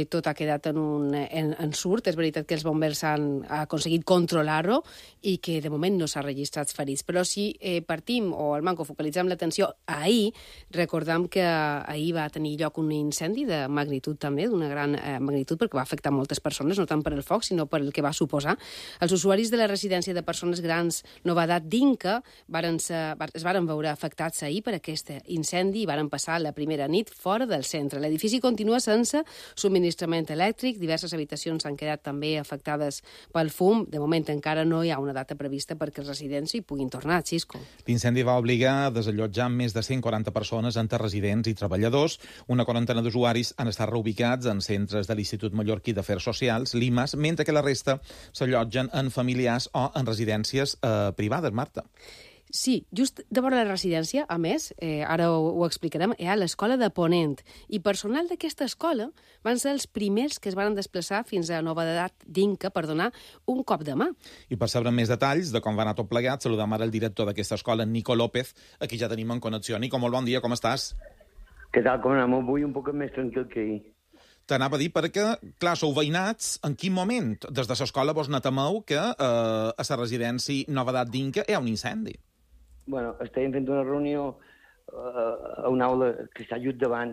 D: tot ha quedat en surt. És veritat que els bombers han aconseguit controlar-ho i que de moment no s'ha registrat ferits. Però si partim, o al manco focalitzem l'atenció ahir, recordem que ahir va tenir lloc un incendi de magnitud també, d'una gran magnitud, perquè va afectar moltes persones, no tant per el foc, sinó per el que va suposar. Els usuaris de la residència de persones grans Novedat d'Inca es varen veure afectats ahir per aquest incendi i varen passar la primera nit fora del centre. L'edifici continua sense subministrament elèctric, diverses habitacions han quedat també afectades pel fum. De moment encara no hi ha una data prevista perquè els residents hi puguin tornar, Xisco.
E: L'incendi va obligar a desallotjar més de 140 persones entre residents i treballadors. Una quarantena d'usuaris han estat reubicats en centres de l'Institut Mallorquí d'Afers Socials, l'IMAS, mentre que la resta s'allotgen en familiars o en residències privades, Marta.
D: Sí, just de vora la residència, a més, ara ho explicarem, hi ha l'escola de Ponent. I personal d'aquesta escola van ser els primers que es van desplaçar fins a Novedat d'Inca per donar un cop de mà.
E: I per saber més detalls de com va anar tot plegat, saludem ara el director d'aquesta escola, Nico López, aquí ja tenim en connexió. Nico, molt bon dia, com estàs?
N: Què tal, com anem? Avui un poc més tranquil que ahir.
E: T'anava a dir perquè, clar, sou veïnats, en quin moment des de l'escola vos netemeu que a la residència Novedat d'Inca hi ha un incendi?
N: Bueno, estàvem fent una reunió a una aula que està just davant,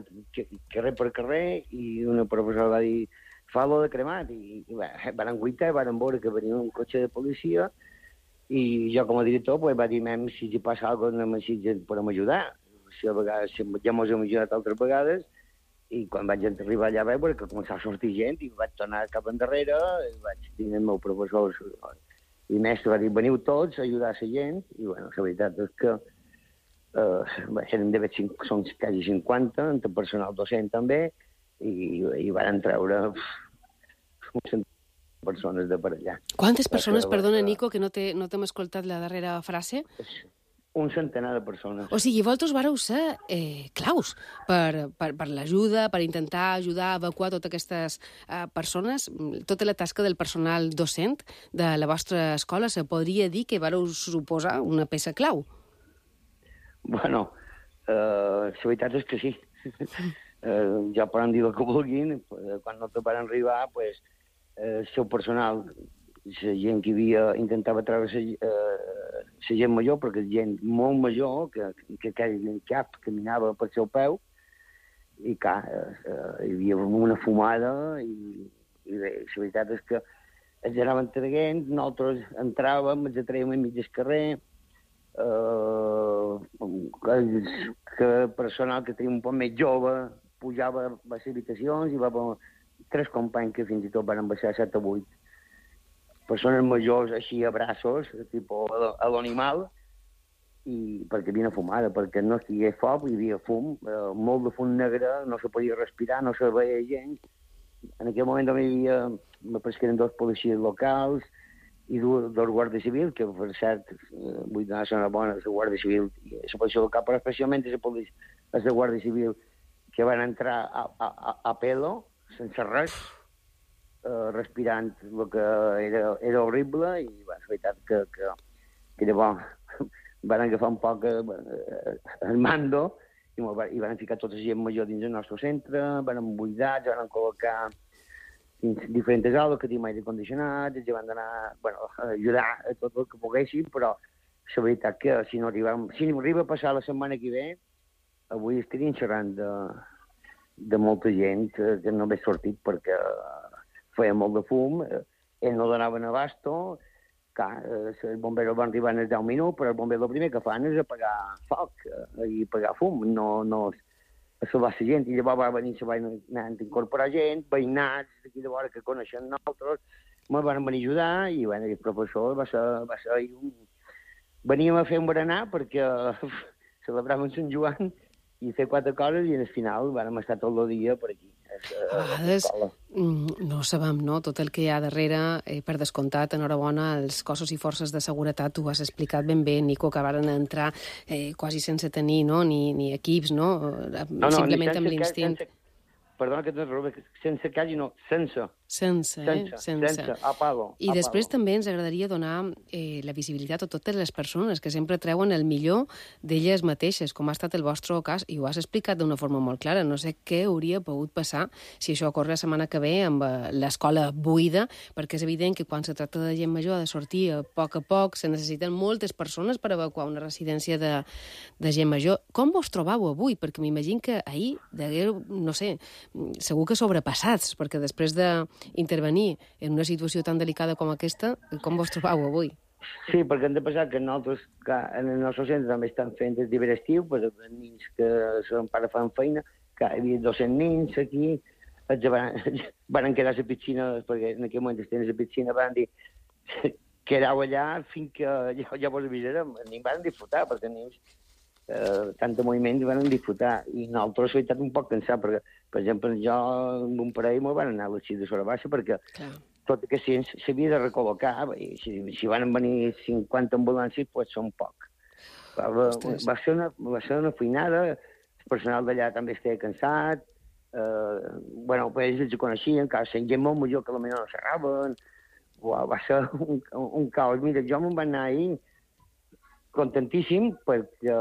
N: carrer per carrer, i una professora va dir, fa-lo de cremat, i van guaitar, van veure que venia un cotxe de policia, i jo com a director va dir, si hi passa alguna cosa, així podem ajudar. Si a vegades ja ens hem ajudat altres vegades, i quan vaig arribar allà vaig veure que començava a sortir gent, i vaig tornar cap endarrere, i vaig dir el meu professor i mestre va dir, veniu tots a ajudar a la gent, i bueno, la veritat és que són quasi 50, entre personal docent també, i van treure uns centenars de persones de per allà.
D: Quantes persones, perdona, Nico, que no t'hem escoltat la darrera frase?
N: Un centenar de persones.
D: O sigui, vosaltres vareu ser claus per l'ajuda, per intentar ajudar a evacuar totes aquestes persones. Tota la tasca del personal docent de la vostra escola se podria dir que vareu suposar una peça clau.
N: Bueno, la veritat és que sí. Ja poden dir el que vulguin. Quan no te van arribar, el seu personal, la gent que intentava treure la gent major, perquè gent molt major que cap caminava per seu peu, i clar, hi havia una fumada, i la veritat és que ens anaven traient, nosaltres entràvem, ens atraiem a mig del carrer, que personal que tenia un poc més jove pujava a les habitacions i va haver 3 companys que fins i tot van baixar 7 o 8 persones majors així a braços, tipus a l'animal, i perquè havia fumada, perquè no estigués foc, hi havia fum, molt de fum negre, no se podia respirar, no se veia gent. En aquell moment també hi havia, me pareix que eren 2 policies locals i 2 guàrdies civils, que per cert, vull donar una bona, la Guàrdia Civil i la policia local, però especialment la Guàrdia Civil, que van entrar a pelo, sense res, respirant el que era horrible, i la veritat que llavors van agafar un poc el mando i van ficar tota la gent major dins el nostre centre, van buidar, ja van col·locar dins diferents aules que tenim aire condicionat, ja van anar a ajudar a tot el que poguessin, però la veritat que si no arriba a passar la setmana que ve, avui estaríem xerrant de molta gent que no ve sortit perquè feia molt de fum, ells no donaven abasto, els bomberos van arribar en els 10 minuts, però els bombers el primer que fan és apagar foc i apagar fum, no a salvar la gent. I llavors va venir, se van anar a incorporar gent, veïnats d'aquí de vora que coneixen nosaltres, ens van venir a ajudar i el professor va ser veníem a fer un berenar perquè celebràvem Sant Joan i fer 4 coses i al final vam estar tot el dia per aquí.
D: A vegades no sabem, no?, tot el que hi ha darrere, per descomptat, enhorabona als cossos i forces de seguretat, tu ho has explicat ben bé, Nico, que varen entrar quasi sense tenir ni equips, no? Simplement amb l'instint.
N: Perdona que t'interrompi, sense quasi no, sense.
D: Sense.
N: Apago.
D: I després també ens agradaria donar la visibilitat a totes les persones que sempre treuen el millor d'elles mateixes, com ha estat el vostre cas, i ho has explicat d'una forma molt clara. No sé què hauria pogut passar si això ocorre la setmana que ve amb l'escola buida, perquè és evident que quan se tracta de gent major ha de sortir a poc, se necessiten moltes persones per evacuar una residència de gent major. Com vos trobau avui? Perquè m'imagino que ahir degueu, no sé, segur que sobrepassats, perquè després d'intervenir en una situació tan delicada com aquesta, com vos trobau avui?
N: Sí, perquè hem de pensar que nosaltres, en el nostre centre també estan fent el d'hivern estiu, per els nens que són pares fan feina, que hi havia 200 nens aquí, van quedar a la piscina, perquè en aquell moment estem a la piscina, van dir, quedau allà fins que ja vos avisarem, ni van disfrutar, perquè nens tant de moviment van disfrutar, i nosaltres hem estat un poc cansats, perquè, per exemple, jo amb un parell m'ho van anar a l'Arxiu de Sora Baixa, perquè tot que s'havia de recol·locar, i si van venir 50 ambulàncies, doncs són poc. Va ser una feinada, el personal d'allà també estava cansat, ells els coneixien, que sent gent molt major que potser no xerraven, va ser un caos. Mira, jo me'n vaig anar ahir contentíssim perquè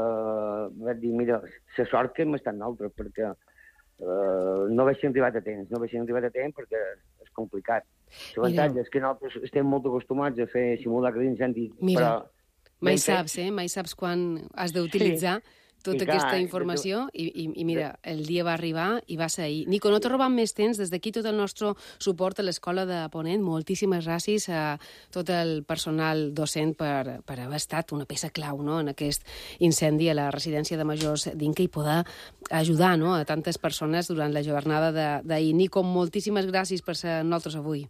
N: vaig dir, mira, la sort que hem estat nosaltres, perquè no haguéssim arribat a temps perquè és complicat. L'avantatge és que nosaltres estem molt acostumats a fer simulacres d'incendi, però...
D: Mai saps quan has d'utilitzar tota aquesta informació i mira, el dia va arribar i va ser ahir. Nico, no te robam més temps. Des d'aquí tot el nostre suport a l'Escola de Ponent. Moltíssimes gràcies a tot el personal docent per haver estat una peça clau, no?, en aquest incendi a la residència de majors d'Inca i poder ajudar, no?, a tantes persones durant la jornada d'ahir. Nico, moltíssimes gràcies per ser amb nosaltres avui.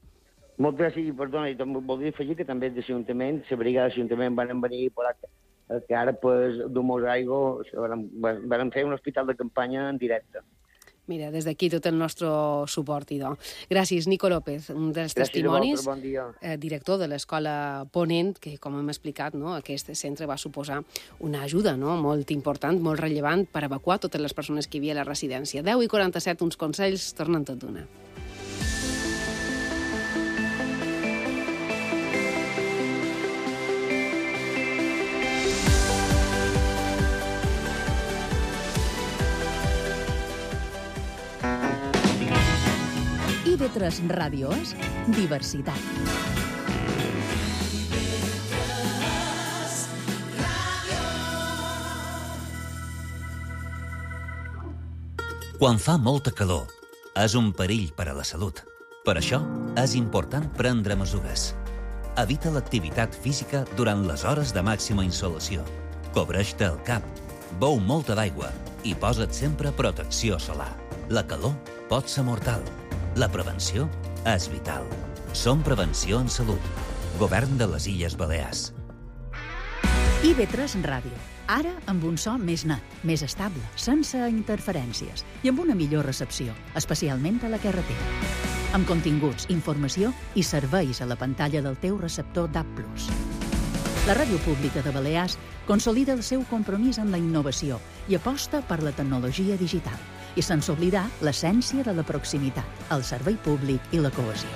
N: Moltes gràcies, i perdona, i també voldria afegir que també de l'Ajuntament, la brigada de l'Ajuntament van venir que ara, d'Humos Aigua, van fer un hospital de campanya en directe.
D: Mira, des d'aquí tot el nostre suport, idò. Gràcies, Nico López, un dels testimonis,
N: bon dia.
D: Director de l'Escola Ponent, que, com hem explicat, no, aquest centre va suposar una ajuda, no?, molt important, molt rellevant per evacuar totes les persones que hi havia a la residència. 10:47, uns consells, tornen tot d'una.
B: IB3 Ràdio és diversitat.
O: Quan fa molta calor, és un perill per a la salut. Per això, és important prendre mesures. Evita l'activitat física durant les hores de màxima insolació. Cobreix-te el cap, beu molta d'aigua i posa't sempre protecció solar. La calor pot ser mortal. La prevenció és vital. Som Prevenció en Salut. Govern de les Illes Balears.
B: IB3 Ràdio. Ara amb un so més net, més estable, sense interferències i amb una millor recepció, especialment a la carretera. Amb continguts, informació i serveis a la pantalla del teu receptor DAB+. La Ràdio Pública de Balears consolida el seu compromís amb la innovació i aposta per la tecnologia digital, i sense oblidar l'essència de la proximitat, el servei públic i la cohesió.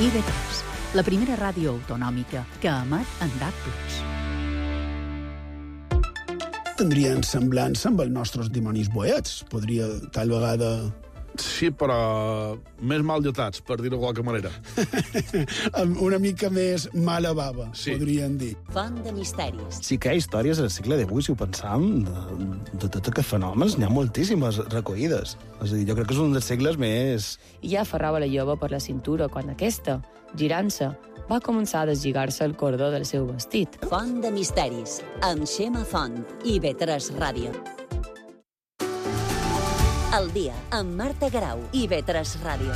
B: IB3, la primera ràdio autonòmica que emet en DAB+.
P: Tindrien semblança amb els nostres dimonis boets. Podria, tal vegada...
Q: Sí, però més mal lletats, per dir-ho de qualque manera.
P: Una mica més mala bava, podríem dir.
C: Font de misteris.
R: Sí que hi ha històries al segle XVIII, si ho pensam, de tots aquests fenòmens, n'hi ha moltíssimes recollides. És a dir, jo crec que és un dels segles més...
S: I ja aferrava la jove per la cintura quan aquesta, girant-se, va començar a deslligar-se el cordó del seu vestit.
C: Font de misteris, amb Xema Font, IB3 Ràdio. El dia, amb Marta Garau, IB3 Ràdio.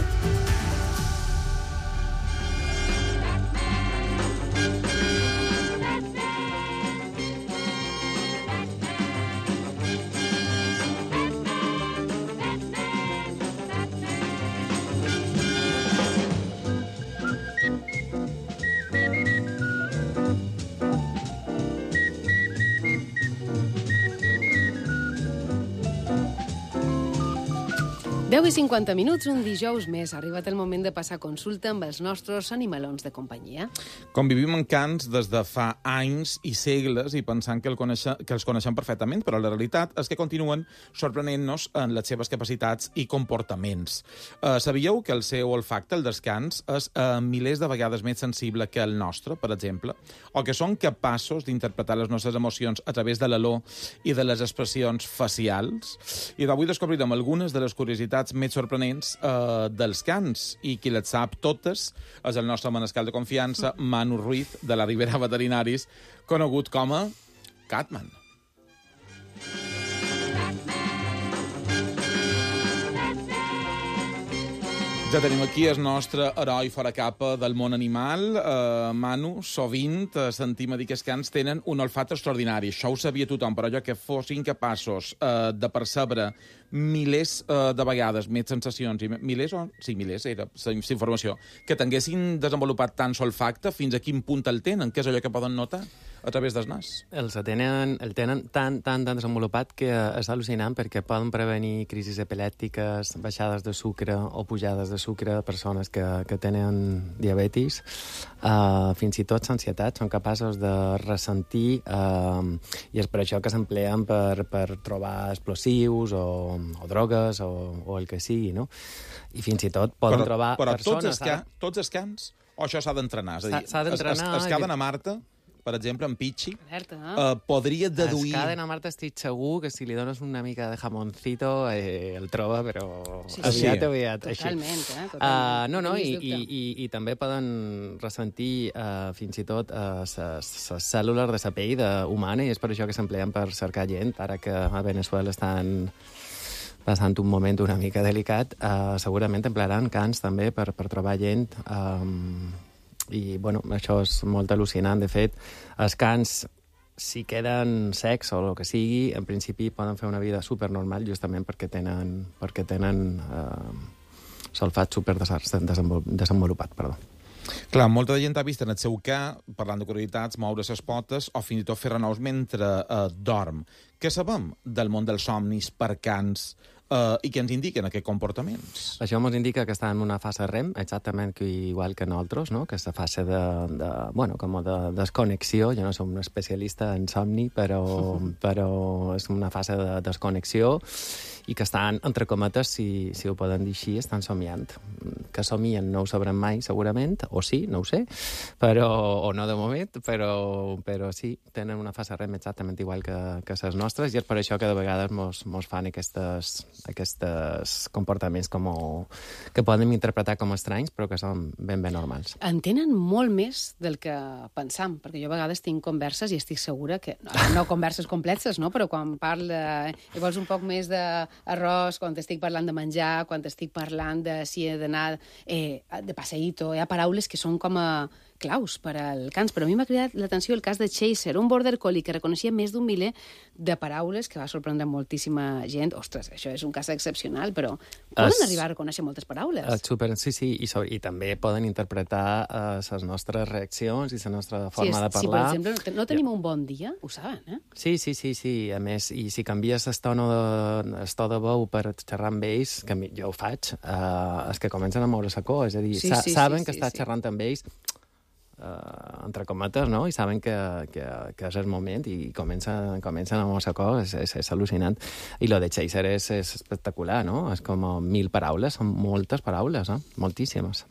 D: i 50 minuts, un dijous més. Ha arribat el moment de passar consulta amb els nostres animalons de companyia.
E: Convivim en cans des de fa anys i segles i pensant que els coneixem perfectament, però la realitat és que continuen sorprenent-nos en les seves capacitats i comportaments. Sabíeu que el seu olfacte, el dels cans, és milers de vegades més sensible que el nostre, per exemple? O que són capaços d'interpretar les nostres emocions a través de l'olor i de les expressions facials? I d'avui descobrirem algunes de les curiositats més sorprenents dels cans, i qui les sap totes és el nostre manescal de confiança, Manu Ruiz, de la Ribera Veterinaris, conegut com a Catman. Ja tenim aquí el nostre heroi fora capa del món animal. Manu, sovint sentim a dir que els cans tenen un olfat extraordinari. Això ho sabia tothom, però allò que fossin capaços de percebre milers de vegades més sensacions, milers era la informació, que tinguessin desenvolupat tant olfacte, fins a quin punt el tenen? Què és allò que poden notar a través del nas?
T: El tenen tan desenvolupat que és al·lucinant, perquè poden prevenir crisis epilèptiques, baixades de sucre o pujades de sucre a persones que tenen diabetis, fins i tot l'ansietat, són capaços de ressentir, i és per això que s'empleen per trobar explosius o drogues o el que sigui, no? I fins i tot poden trobar persones...
E: Però tots els cans, o això s'ha d'entrenar? És a dir,
T: s'ha d'entrenar...
E: Es caden a Marta, per exemple, en Pichi,
D: Alerta,
E: podria deduir...
T: Es caden a Marta, estic segur que si li dones una mica de jamoncito el troba, però aviat.
D: Totalment,
T: I també poden ressentir fins i tot les cèl·lules de la pell humana, i és per això que s'empleen per cercar gent. Ara que a Venezuela estan passant un moment una mica delicat, segurament emplearan cans també per trobar gent, i bueno, això és molt al·lucinant. De fet, els cans, si queden secs o el que sigui, en principi poden fer una vida supernormal, justament perquè tenen l'olfat super desenvolupat.
E: Clar, molta gent ha vist en el seu ca, parlant de curiositats, moure les potes o fins i tot fer renaus mentre dorm. Què sabem del món dels somnis per cans i què ens indiquen aquests comportaments?
T: Això ens indica que està en una fase REM, exactament igual que nosaltres, no? Que és la fase de desconnexió. Jo no soc un especialista en somni, però és una fase de desconnexió, i que estan, entre cometes, si ho poden dir així, estan somiant. Que somien no ho sabrem mai, segurament, o sí, no ho sé, o no de moment, però sí, tenen una fase REM exactament igual que les nostres, i és per això que de vegades mos fan aquests comportaments que podem interpretar com estranys, però que són ben normals.
D: Entenen molt més del que pensam, perquè jo a vegades tinc converses i estic segura que, no converses complexes, no? Però quan parla i vols un poc més d'arròs, quan estic parlant de menjar, quan estic parlant de si he d'anar de passeïto, hi ha paraules que són com a claus per al cans, però a mi m'ha cridat l'atenció el cas de Chaser, un border collie que reconeixia més d'un miler de paraules que va sorprendre moltíssima gent. Ostres, això és un cas excepcional, però poden arribar a reconèixer moltes paraules.
T: Sí, i també poden interpretar les nostres reaccions i la nostra forma de parlar.
D: Si, per exemple, no tenim un bon dia, ho saben, eh?
T: Sí. A més, i si canvies el to de veu per xerrar amb ells, que jo ho faig, és que comencen a moure la cor, és a dir, saben que estàs xerrant amb ells entre cometes, no? I saben que és el moment i comencen a moure cor, és al·lucinant. I lo de Chaser és espectacular, no? És com 1.000 paraules, són moltes paraules, moltíssimes.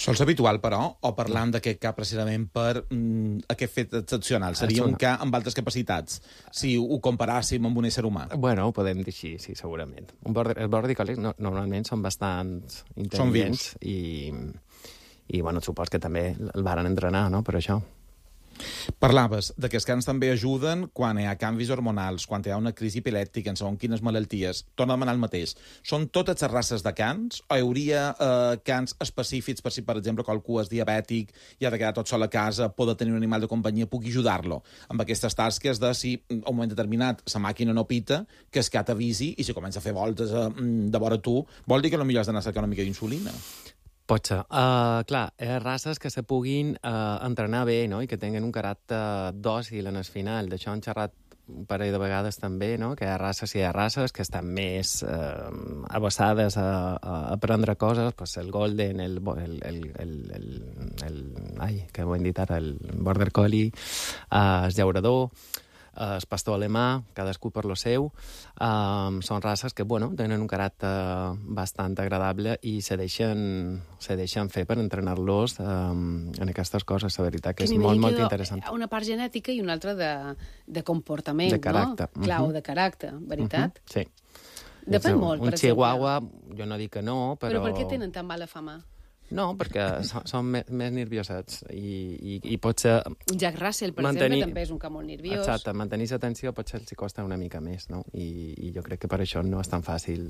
E: Sols habitual, però, o parlant d'aquest cas precisament per aquest fet excepcional? Seria un cas amb altres capacitats, si ho comparàssim amb un ésser humà?
T: Bueno, ho podem dir així, sí, segurament. Els border collies normalment són bastant intel·ligents i bueno, supos que també el varen entrenar, no?, per això.
E: Parlaves de que els cans també ajuden quan hi ha canvis hormonals, quan hi ha una crisi epilèptica, en segons quines malalties. Torna a demanar el mateix. Són totes les races de cans o hi hauria cans específics per si, per exemple, qualcú és diabètic i ha de quedar tot sol a casa, poder tenir un animal de companyia, pugui ajudar-lo amb aquestes tasques de si a un moment determinat la màquina no pita, que el cat avisi i si comença a fer voltes de vora tu, vol dir que potser has d'anar a cercar una mica d'insulina.
T: Pot ser. Clar, races que se puguin entrenar bé, no?, i que tinguin un caràcter dòcil en el final. D'això han xerrat un parell de vegades també, no?, que hi ha races que estan més avessades a aprendre coses, pues el golden, que ho hem dit ara, el border collie, el llaurador, el pastor alemà, cadascú per lo seu. Són races que, bueno, tenen un caràcter bastant agradable i se deixen fer per entrenar-los en aquestes coses. La veritat que és molt interessant.
D: Una part genètica i una altra de comportament,
T: de caràcter,
D: no? Clar, de caràcter, veritat?
T: Sí.
D: Depèn molt, per exemple.
T: Un chihuahua, jo no dic que no, però...
D: Però per què tenen tan mala fama?
T: No, perquè són més nerviosets i potser...
D: Un Jack Russell, per exemple, també és un cap molt nerviós.
T: Exacte, mantenir l'atenció potser els costa una mica més, no? I jo crec que per això no és tan fàcil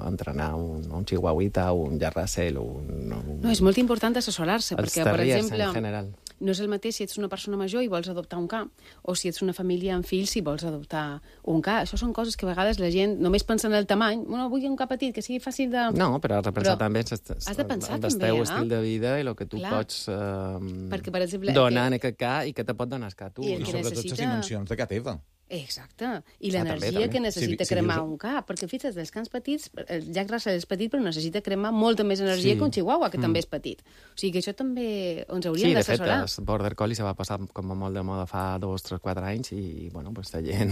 T: entrenar un chihuahuita o un Jack Russell o un...
D: No, és molt important assessorar-se, perquè, per exemple,
T: en general,
D: no és el mateix si ets una persona major i vols adoptar un ca, o si ets una família amb fills i vols adoptar un ca. Això són coses que a vegades la gent només pensa en el tamany. Bueno, vull un ca petit, que sigui fàcil de...
T: No, però has de pensar també
D: has de pensar també,
T: estil de vida i el que tu pots
D: perquè, per exemple,
T: donar en aquest ca i que te pot donar el ca tu.
E: I sobretot les dimensions de ca teva.
D: Exacte. I l'energia que necessita cremar un cap. Perquè, fixa't, els cans petits, el Jack Russell és petit, però necessita cremar molta més energia que un chihuahua, que també és petit. O sigui que això també ens hauríem d'assessorar.
T: Sí, de fet, el border collie se va passar com a molt de moda fa 2, 3, 4 anys i, bueno, pues la gent...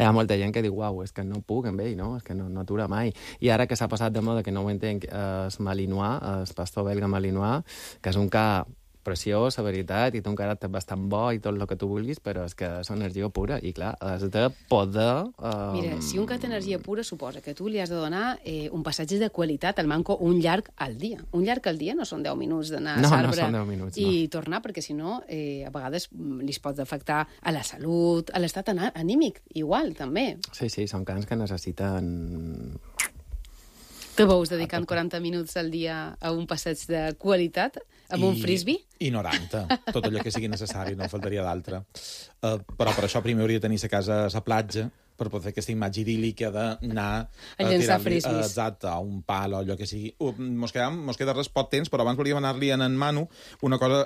T: Hi ha molta gent que diu, uau, és que no puc amb ell, no? És que no atura mai. I ara que s'ha passat de moda, que no ho entenc, el malinois, el pastor belga malinois, que és un ca preciós, la veritat, i té un caràcter bastant bo i tot el que tu vulguis, però és que és energia pura, i clar, has de poder...
D: Mira, si un cat té energia pura, suposa que tu li has de donar un passatge de qualitat al manco un llarg al dia. Un llarg al dia no són 10 minuts d'anar a l'arbre i tornar, perquè si no, a vegades li pot afectar a la salut, a l'estat anímic, igual, també.
T: Sí, són cans que necessiten...
D: Te veus dedicant 40 minuts al dia a un passeig de qualitat, amb un frisbee?
E: I 90. Tot allò que sigui necessari, no faltaria d'altre. Però per això primer hauria de tenir la casa a la platja, per poder fer aquesta imatge idíl·lica d'anar
D: a llançar frisbees.
E: Exacte, a un pal o allò que sigui. Mos queda res poc temps, però abans volíem anar-li en Manu una cosa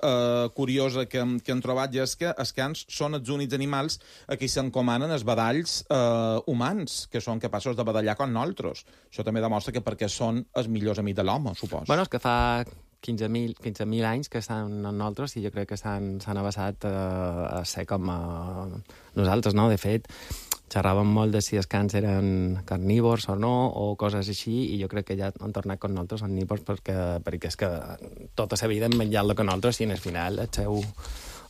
E: curiosa que hem trobat, i és que els cans són els únics animals a qui s'encomanen els badalls humans, que són capaços de badallar com nosaltres. Això també demostra que perquè són els millors amics de l'home, suposo.
T: Bueno, és que fa 15.000 anys que estan amb nosaltres i jo crec que s'han avançat a ser com nosaltres, no? De fet, xerràvem molt de si els cans eren carnívors o no, o coses així, i jo crec que ja han tornat com nosaltres omnívors perquè és que tota la vida han menjat el que nosaltres i al final el seu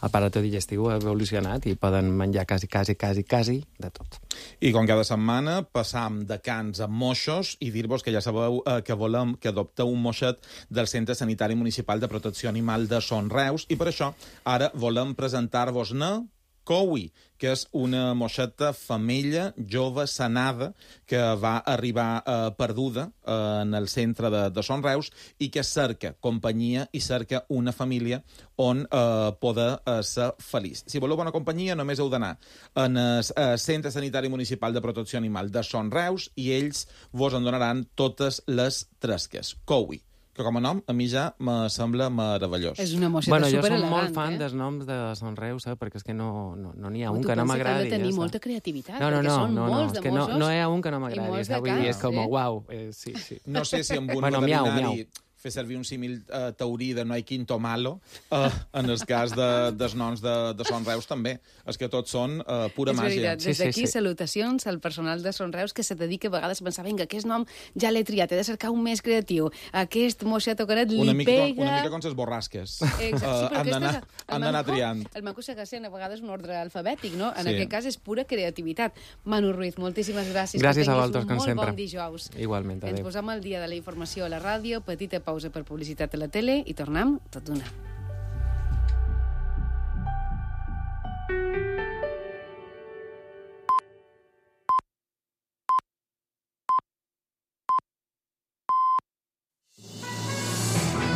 T: aparato digestiu ha evolucionat i poden menjar quasi de tot.
E: I com cada setmana passam de cans a moixos i dir-vos que ja sabeu que volem que adopteu un moixet del Centre Sanitari Municipal de Protecció Animal de Son Reus i per això ara volem presentar-vos-ne Cowie, que és una moixeta femella jove sanada que va arribar perduda en el centre de Son Reus i que cerca companyia i cerca una família on poder ser feliç. Si voleu bona companyia, només heu d'anar en el Centre Sanitari Municipal de Protecció Animal de Son Reus i ells vos en donaran totes les tresques. Cowie, que com a nom a mi ja me sembla meravellós.
D: És una moixeta superelegant.
T: Jo soc molt fan dels noms de Son Reus, perquè és que no n'hi ha un que no m'agradi.
D: Tu penses que ha de tenir molta creativitat,
T: perquè
D: són molts de moixos.
T: No hi ha un que no m'agradi. És com, uau, sí.
E: No sé si amb un veterinari fer servir un símil taurí de no hay quinto malo, en el cas dels noms de Son Reus també. És que tots són pura màgia.
D: És veritat, des d'aquí salutacions al personal de Son Reus que se dedica a vegades a pensar, vinga, aquest nom ja l'he triat, he de cercar un més creatiu, aquest moixet o caret li pega...
E: Una mica com les borrasques. Han d'anar triant.
D: El maco segueix sent a vegades un ordre alfabètic, no? En aquest cas és pura creativitat. Manu Ruiz, moltíssimes gràcies.
T: Gràcies a vosaltres, com sempre.
D: Molt bon dijous.
T: Igualment, adéu.
D: Ens posam al dia de la informació a la ràdio, petita pausa per publicitat a la tele i tornem tot d'una.